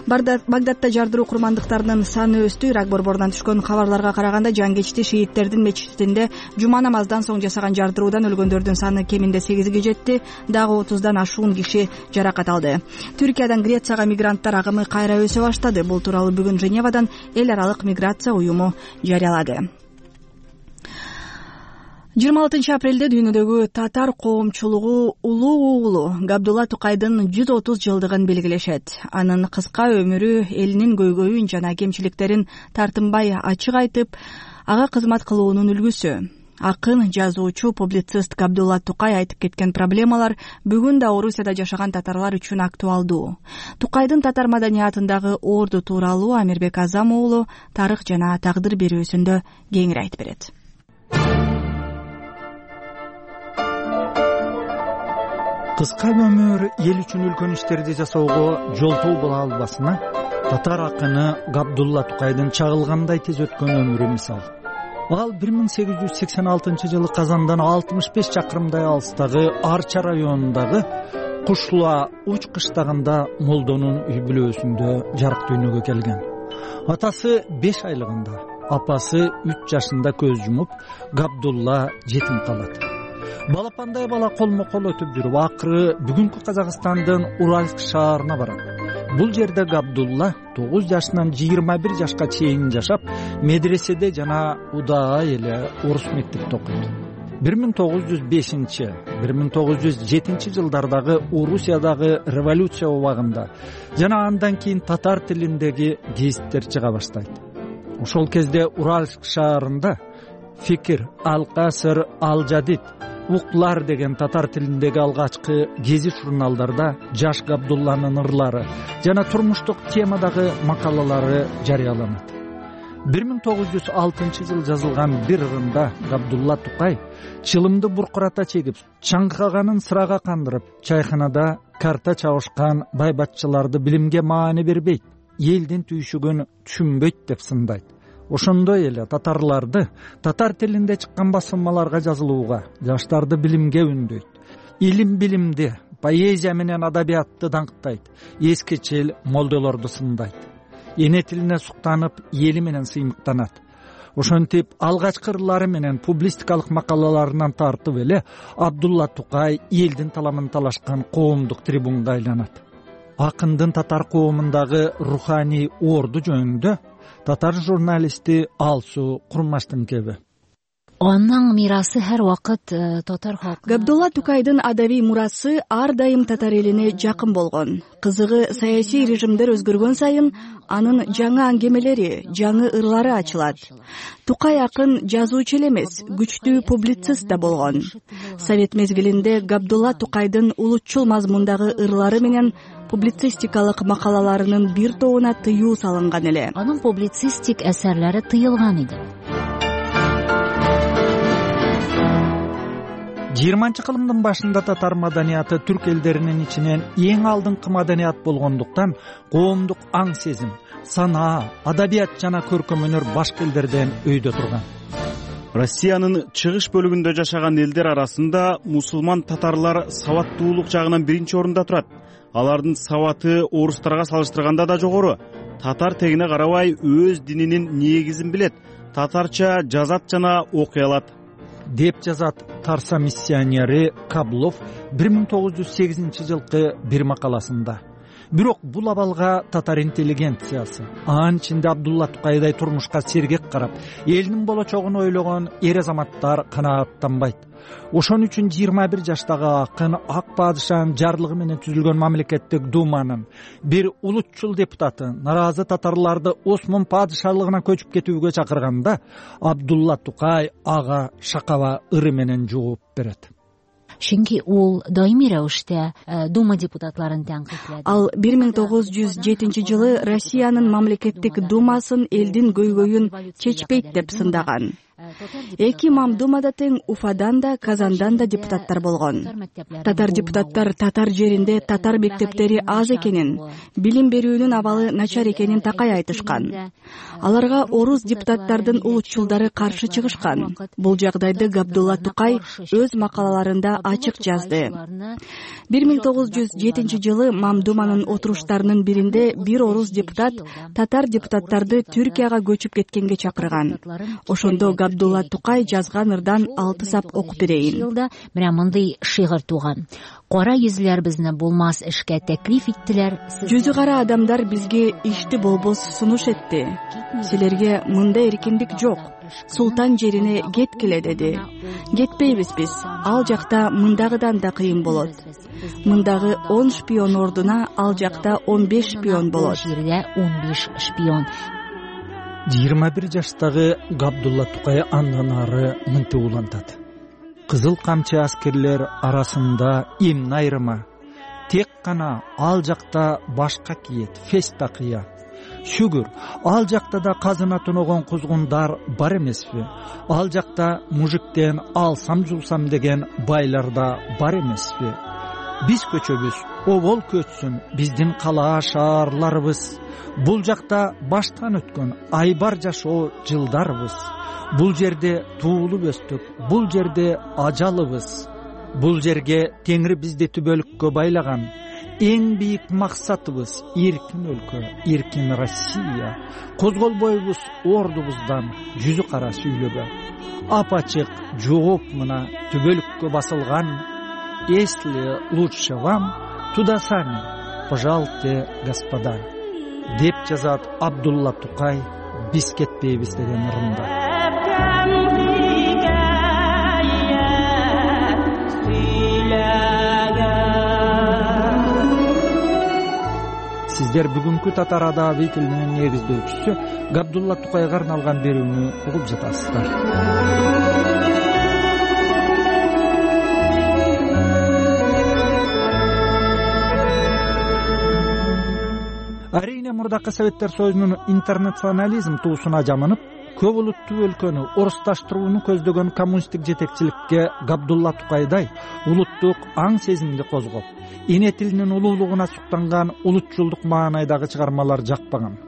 Багдадда жардыруу курмандыктарынын саны өстү. Ирак борборунан түшкөн кабарларга караганда жангечти шииттердин мечитинде жума намаздан соң жасаган жардыруудан өлгөндөрдүн саны кеминде сегизге жетти. Дагы отуздан ашуун киши жаракат алды. Түркиядан Грецияга мигранттар агымы кайра өсө баштады. Бул тууралуу бүгүн Женевадан эл аралык миграция уюму жарыялады. жыйырма алтынчы апрелде дүйнөдөгү татар коомчулугу улуу уулу Габдулла Тукайдын жүз отуз жылдыгын белгилешет. Анын кыска өмүрү элинин көйгөйүн жана кемчиликтерин тартынбай ачык айтып, ага кызмат кылуунун үлгүсү. Акын, жазуучу, публицист Габдулла Тукай айтып кеткен проблемалар бүгүн да Орусияда жашаган татарлар үчүн актуалдуу. Тукайдын татар маданиятындагы орду тууралуу Амирбек Азам уулу тарых жана тагдыр берүүсүндө кеңири айтып берет. Кыска өмүр эл үчүн үлкөн иштерди жасоого жолтоо боло албасына татар акыны Габдулла Тукайдын чагылгандай тез өткөн өмүрү мисал. Ал бир миң сегиз жүз сексен алтынчы жылы Казандан алтымыш беш чакырымдай алыстагы Арча районундагы Кушлуа уч кыштагында молдонун үй бүлөсүндө жарык дүйнөгө келген. Атасы беш айлыгында, апасы үч жашында көз жумуп, Габдулла жетим калат. Балапандай бала колмо-кол өтүп жүрүп, акыры бүгүнкү Казакстандын Уральск шаарына барат. Бул жерде Габдулла тогуз жашынан жыйырма бир жашка чейин жашап, медреседе жана удаа эле орус мектепте окуйт. бир миң тогуз жүз бешинчи — бир миң тогуз жүз жетинчи жылдардагы Орусиядагы революция убагында жана андан кийин татар тилиндеги гезиттер чыга баштайт. Ошол кезде Уральск шаарында Фикир, Ал-Касыр, Ал-Жадид, Уклар деген татар тилиндеги алгачкы гезит журналдарда жаш Габдулланын ырлары жана турмуштук темадагы макалалары жарыяланат. бир миң тогуз жүз алтынчы жыл жазылган бир ырында Габдулла Тукай чылымды буркурата чегип, чаңкаганын сырага кандырып, чайханада карта чабышкан байбатчыларды билимге маани бербейт, элдин түйшүгүн түшүнбөйт деп сындайт. Ошондой эле татарларды татар тилинде чыккан басылмаларга жазылууга, жаштарды билимге үндөйт. Илим билимди, поэзия менен адабиятты даңктайт, эскечил молдолорду сындайт. Эне тилине суктанып, эли менен сыймыктанат. Ошентип алгачкы ырлары менен публистикалык макалаларынан тартып эле Абдулла Тукай элдин таламын талашкан коомдук трибунга айланат. Акындын татар коомундагы руханий орду жөнүндө татар журналисти Алсу Курмаштын кеби. Анын мирасы ар убакыт татар халкы. Габдулла Тукайдын адабий мурасы ар дайым татар элине жакын болгон. Кызыгы, саясий режимдер өзгөргөн сайын анын жаңы аңгемелери, жаңы ырлары ачылат. Тукай акын жазуучу эле эмес, күчтүү публицист да болгон. Совет мезгилинде Габдулла Тукайдын улутчул мазмундагы ырлары менен публицистикалык макалаларынын бир тобуна тыюу салынган эле. Анын публицистик эсерлери тыйылган иди. жыйырманчы кылымдын башында татар маданияты түрк элдеринин ичинен эң алдыңкы маданият болгондуктан коомдук аң сезим, санаа, адабият жана көркөм өнөр башка элдерден өйдө турган. Россиянын чыгыш бөлүгүндө жашаган элдер арасында мусулман татарлар сабаттуулук жагынан биринчи орунда турат. Алардын сабаты орустарга салыштырганда да жогору. Татар тегине карабай өз дининин негизин билет. татарча жазат жана окуй алат деп жазат Тарса миссионери Каблов бир миң тогуз жүз сегизинчи жылкы бир макаласында. Бирок бул абалга татар интеллигенциясы, анын ичинде Абдулла Тукайдай турмушка сергек карап, элинин болочогун ойлогон эр азаматтар канааттанбайт. Ошон үчүн жыйырма бир жаштагы акын Ак падышанын жарлыгы менен түзүлгөн мамлекеттик думанын бир улутчул депутаты наразы татарларды Осмон падышалыгына көчүп кетүүгө чакырганда, Абдулла Тукай ага шакаба ыры менен жооп берет. Чүнки ол даимий рәвештә дума депутатларын тәнкыйтьләде. Ал бир миң тогуз жүз жетинчи жылы Россиянын мамлекеттик думасын элдин көйгөйүн чечпейт деп сындаган. Эки мамдумада тең Уфадан да, Казандан да депутаттар болгон. Татар депутаттар татар жеринде татар мектептери аз экенин, билим берүүнүн абалы начар экенин такай айтышкан. Аларга орус депутаттардын улутчулдары каршы чыгышкан. Бул жагдайды Габдулла Тукай өз макалаларында ачык жазды. бир миң тогуз жүз жетинчи жылы мамдуманын отуруштарынын биринде бир орус депутат татар депутаттарды Түркияга көчүп кеткенге чакырган. Ошондо Абдулла Тукай жазган ырдан алты сап окуп берейин. Жылда менә мындай шигырь туган. Кара йөзләр безне булмас эшкә тәклиф иттеләр. Жүзү кара адамдар бизге ишти болбос сунуш этти. Силерге мындай эркиндик жок. Султан жерине кеткиле деди. Кетпейбиз биз. Ал жакта мындагыдан да кыйын болот. Мындагы он шпион ордуна ал жакта он беш шпион болот. Жерде он беш шпион. жыйырма бир жаштагы Габдулла Тукай андан ары мынтип улантат. Кызыл камчы аскерлер арасында эмне айрыма? Тек гана ал жакта башка киет, фес такыя. Шүгүр, ал жакта да казына тоногон кузгундар бар эмеспи? Ал жакта мужиктен алсам жулсам деген байлар да бар эмеспи? Биз көчөбүз, обол көчсүн биздин кала шаарларыбыз. Бул жакта баштан өткөн айбар жашоо жылдарыбыз. Бул жерде туулуп өстүк, бул жерде ажалыбыз. Бул жерге Теңир бизди түбөлүккө байлаган. Эң бийик максатыбыз эркин өлкө, эркин Россия. Козголбойбуз ордубуздан жүзү кара сүйлөгө. Апачык жооп мына түбөлүккө басылган. Если лучше вам, туда сами, пожалуйте, господа, деп жазат Абдулла Тукай биз кетпейбиз деген ырында. Сиздер бүгүнкү татар адаби тилинин негиздөөчүсү Габдулла Тукайга арналган берүүнү угуп жатасыздар. Арийне мурдакы Советтер Союзунун интернационализм туусуна жамынып, көп улуттуу өлкөнү орусташтырууну көздөгөн коммунисттик жетекчиликке Габдулла Тукайдай улуттук аң сезимди козгоп, эне тилинин улуулугуна суктанган улутчулдук маанайдагы чыгармалар жакпаган.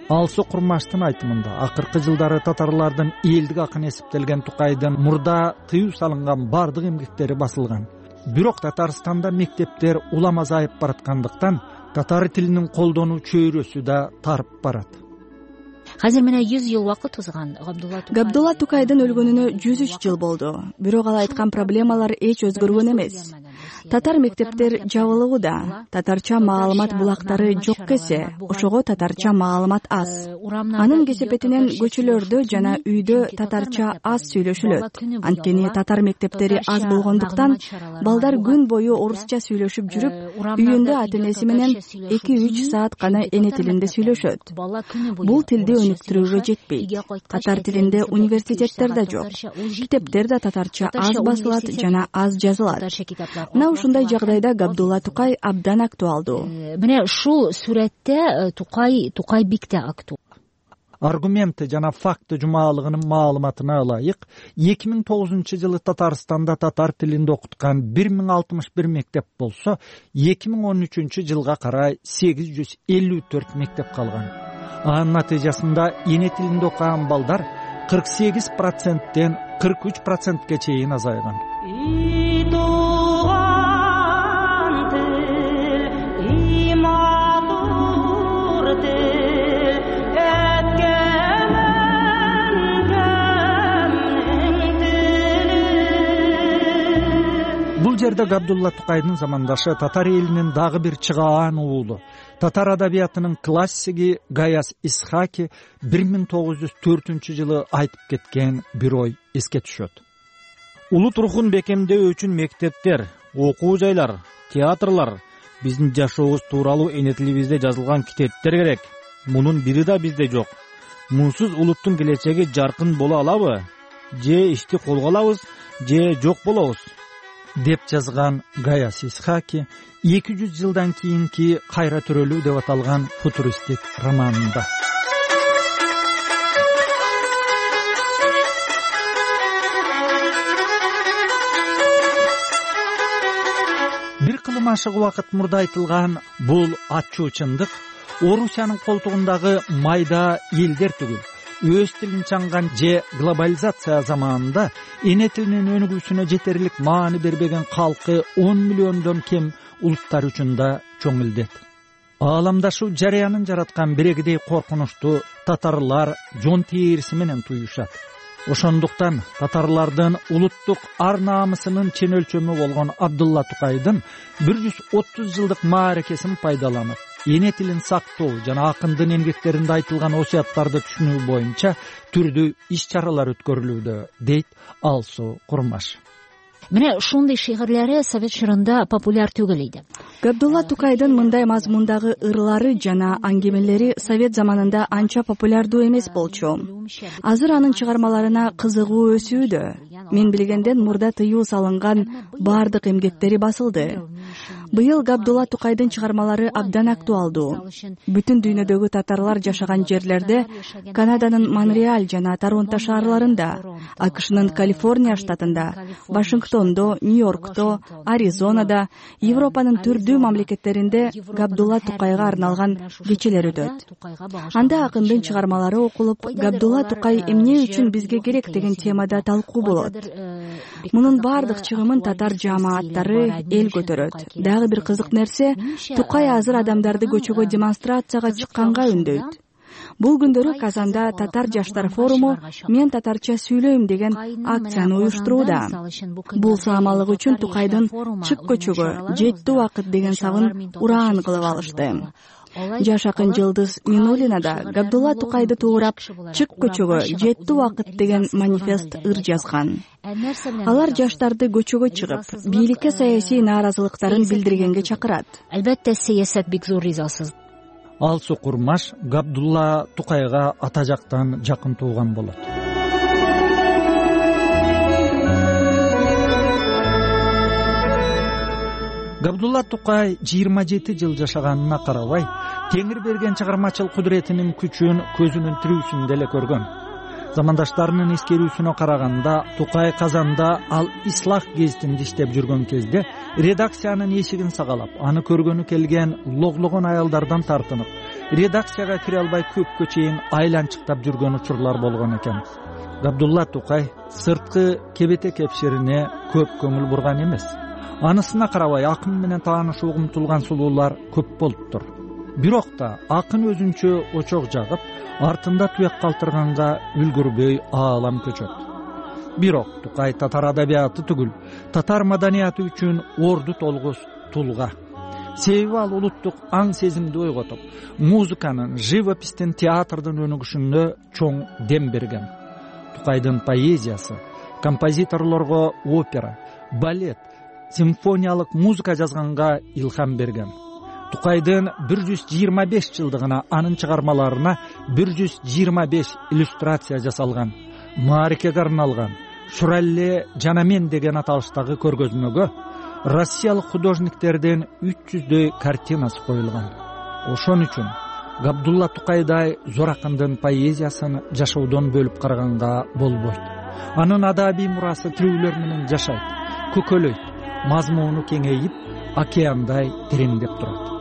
Алсу Курмаштын айтымында акыркы жылдары татарлардын элдик акын эсептелген Тукайдын мурда тыюу салынган бардык эмгектери басылган. Бирок Татарстанда мектептер улам азайып бараткандыктан татар тилинин колдонуу чөйрөсү да тарып барат. Азыр менә жүз жыл вакыт узган. Габдулла Тукайдын өлгөнүнө жүз үч жыл болду. Бирок ал айткан проблемалар эч өзгөргөн эмес. Татар мектептер жабылууда, татарча маалымат булактары жок кесе, ошого татарча маалымат аз. Анын кесепетинен көчөлөрдө жана үйдө татарча аз сүйлөшүлөт. Анткени татар мектептери аз болгондуктан балдар күн бою орусча сүйлөшүп жүрүп, үйүндө ата-энеси менен эки үч саат гана эне тилинде сүйлөшөт. Бул тилди өнүктүрүүгө жетпейт. Татар тилинде университеттер да жок. Китептер да татарча аз басылат жана аз жазылат. Мына ушундай жагдайда Габдулла Тукай абдан актуалдуу. Мына ушул сүрөттө Тукай Тукай бикте актуал. Аргументи жана факты жумалыгынын маалыматына ылайык, эки миң тогузунчу жылы Татарстанда татар тилинде окуткан бир миң алтымыш бир мектеп болсо, эки миң он үчүнчү жылга карай сегиз жүз элүү төрт мектеп калган. Анын натыйжасында эне тилинде окуган балдар кырк сегиз проценттен кырк үч процентке чейин азайган. жерде Габдулла Тукайдын замандашы татар элинин дагы бир чыгаан уулу, татар адабиятынын классиги Гаяз Исхаки бир миң тогуз жүз төртүнчү жылы айтып кеткен бир ой эске түшөт. Улут рухун бекемдөө үчүн мектептер, окуу жайлар, театрлар, биздин жашообуз тууралуу эне тилибизде жазылган китептер керек. Мунун бири да бизде жок. Мунсуз улуттун келечеги жаркын боло алабы? Же ишти колго алабыз, же жок болобуз, деп жазган Гаяз Исхаки эки жүз жылдан кийинки кайра төрөлүү деп аталган футуристик романында. Бир кылым ашык убакыт мурда айтылган бул ачуу чындык Орусиянын колтугундагы майда элдер түгүл, өз тилин чаңган же глобализация заманында эне тилинин өнүгүүсүнө жетерлик маани бербеген калкы он миллиондон кем улуттар үчүн да чоң илдет. Ааламдашуу жарыянын жараткан бирегидей коркунучту татарлар жон тээриси менен туюшат. Ошондуктан татарлардын улуттук ар наамысынын чен өлчөмү болгон Абдулла Тукайдын бир жүз отуз жылдык мааракесин пайдаланып, эне тилин сактоо жана акындын эмгектеринде айтылган осуяттарды түшүнүү боюнча түрдүү иш-чаралар өткөрүлүүдө, дейт Алсу Курмаш. Мына ушундай шигирлери совет чорунда популяр түгүл иди. Габдулла Тукайдын мындай мазмундагы ырлары жана аңгемелери совет заманында анча популярдуу эмес болчу. Азыр анын чыгармаларына кызыгуу өсүүдө. Мен билгенден мурда тыюу салынган бардык эмгектери басылды. Быйыл Габдулла Тукайдын чыгармалары абдан актуалдуу. Бүтүн дүйнөдөгү татарлар жашаган жерлерде, Канаданын Монреаль жана Торонто шаарларында, АКШнын Калифорния штатында, Вашингтондо, Нью-Йоркто, Аризонада, Европанын түрдүү мамлекеттеринде Габдулла Тукайга арналган кечелер өтөт. Анда акындын чыгармалары окулуп, Габдулла Тукай эмне үчүн бизге керек деген темада талкуу болот. Мунун бардык чыгымын татар жамааттары эл көтөрөт. Дагы бир кызык нерсе, Тукай азыр адамдарды көчөгө демонстрацияга чыкканга үндөйт. Бул күндөрү Казанда татар жаштар форуму «Мен татарча сүйлөйм» деген акцияны уюштурууда. Бул саамалык үчүн Тукайдын «Чык көчөгө, жетти убакыт» деген сабын ураан кылып алышты. Жаш акын Жылдыз Минулина да Габдулла Тукайды туурап «Чык көчөгө, жетти убакыт» деген манифест ыр жазган. Алар жаштарды көчөгө чыгып, бийликке саясий нааразылыктарын билдиргенге чакырат. Албетте саясат бик зор ризасыз. Алсу Курмаш Габдулла Тукайга ата жактан жакын тууган болот. Габдулла Тукай жыйырма жети жыл жашаганына карабай, Теңир берген чыгармачыл кудуретинин күчүн көзүнүн тирүүсүндө эле көргөн. Замандаштарынын эскерүүсүнө караганда, Тукай Казанда Ал Ислах гезитинде иштеп жүргөн кезде редакциянын эшигин сагалап, аны көргөнү келген логлогон аялдардан тартынып, редакцияга кире албай көпкө чейин айланчыктап жүргөн учурлар болгон экен. Габдулла Тукай сырткы кебете кепширине көп көңүл бурган эмес. Анысына карабай акын менен таанышууга умтулган сулуулар көп болуптур. Бирок да акын өзүнчө очок жагып, артында туяк калтырганга үлгүрбөй аалам көчөт. Бирок Тукай татар адабияты түгүл, татар маданияты үчүн орду толгус тулга. Себеби ал улуттук аң сезимди ойготуп, музыканын, живопистин, театрдын өнүгүшүнө чоң дем берген. Тукайдын поэзиясы, композиторлорго опера, балет, симфониялык музыка жазганга илхам берген. Тукайдын бир жүз жыйырма беш жылдыгына анын чыгармаларына бир жүз жыйырма беш иллюстрация жасалган. Мааракеге арналган «Шуралле жана мен» деген аталыштагы көргөзмөгө россиялык художниктердин үч жүздөй картинасы коюлган. Ошон үчүн Габдулла Тукайдай зор акындын поэзиясын жашоодон бөлүп караганга болбойт. Анын адабий мурасы тирүүлөр менен жашайт, көкөлөйт, мазмуну кеңейип, океандай тереңдеп турат.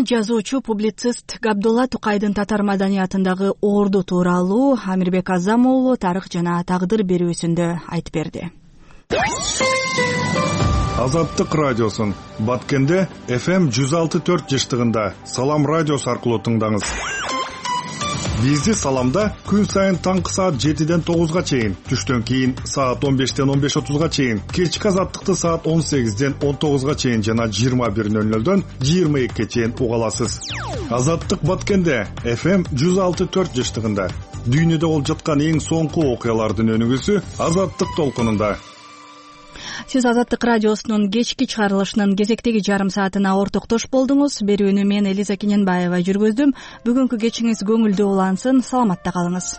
жазуучу публицист Габдулла Тукайдын татар маданиятындагы орду тууралуу Амирбек Азам уулу тарых жана тагдыр берүүсүндө айтып берди. Азаттык радиосун Баткенде эф эм жүз алты төрт жыштыгында Салам радиосу аркылуу тыңдаңыз. Бизди Саламда күн сайын таңкы саат жетиден тогузга чейин, түштөн кийин саат он бештен он беш отузга чейин, кечки Азаттыкты саат он сегизден он тогузга чейин жана жыйырма бир нөл нөлдөн жыйырма экиге чейин уга аласыз. Азаттык Баткенде эф эм жүз алты төрт жыштыгында дүйнөдө болуп жаткан эң соңку окуялардын өнүгүүсү Азаттык толкунунда. Сиз Азаттык радиосунун кечки чыгарылышынын кезектеги жарым саатына ортоктош болдуңуз. Берүүнү мен Элиза Кененбаева жүргүздүм. Бүгүнкү кечиңиз көңүлдүү улансын. Саламатта калыңыз.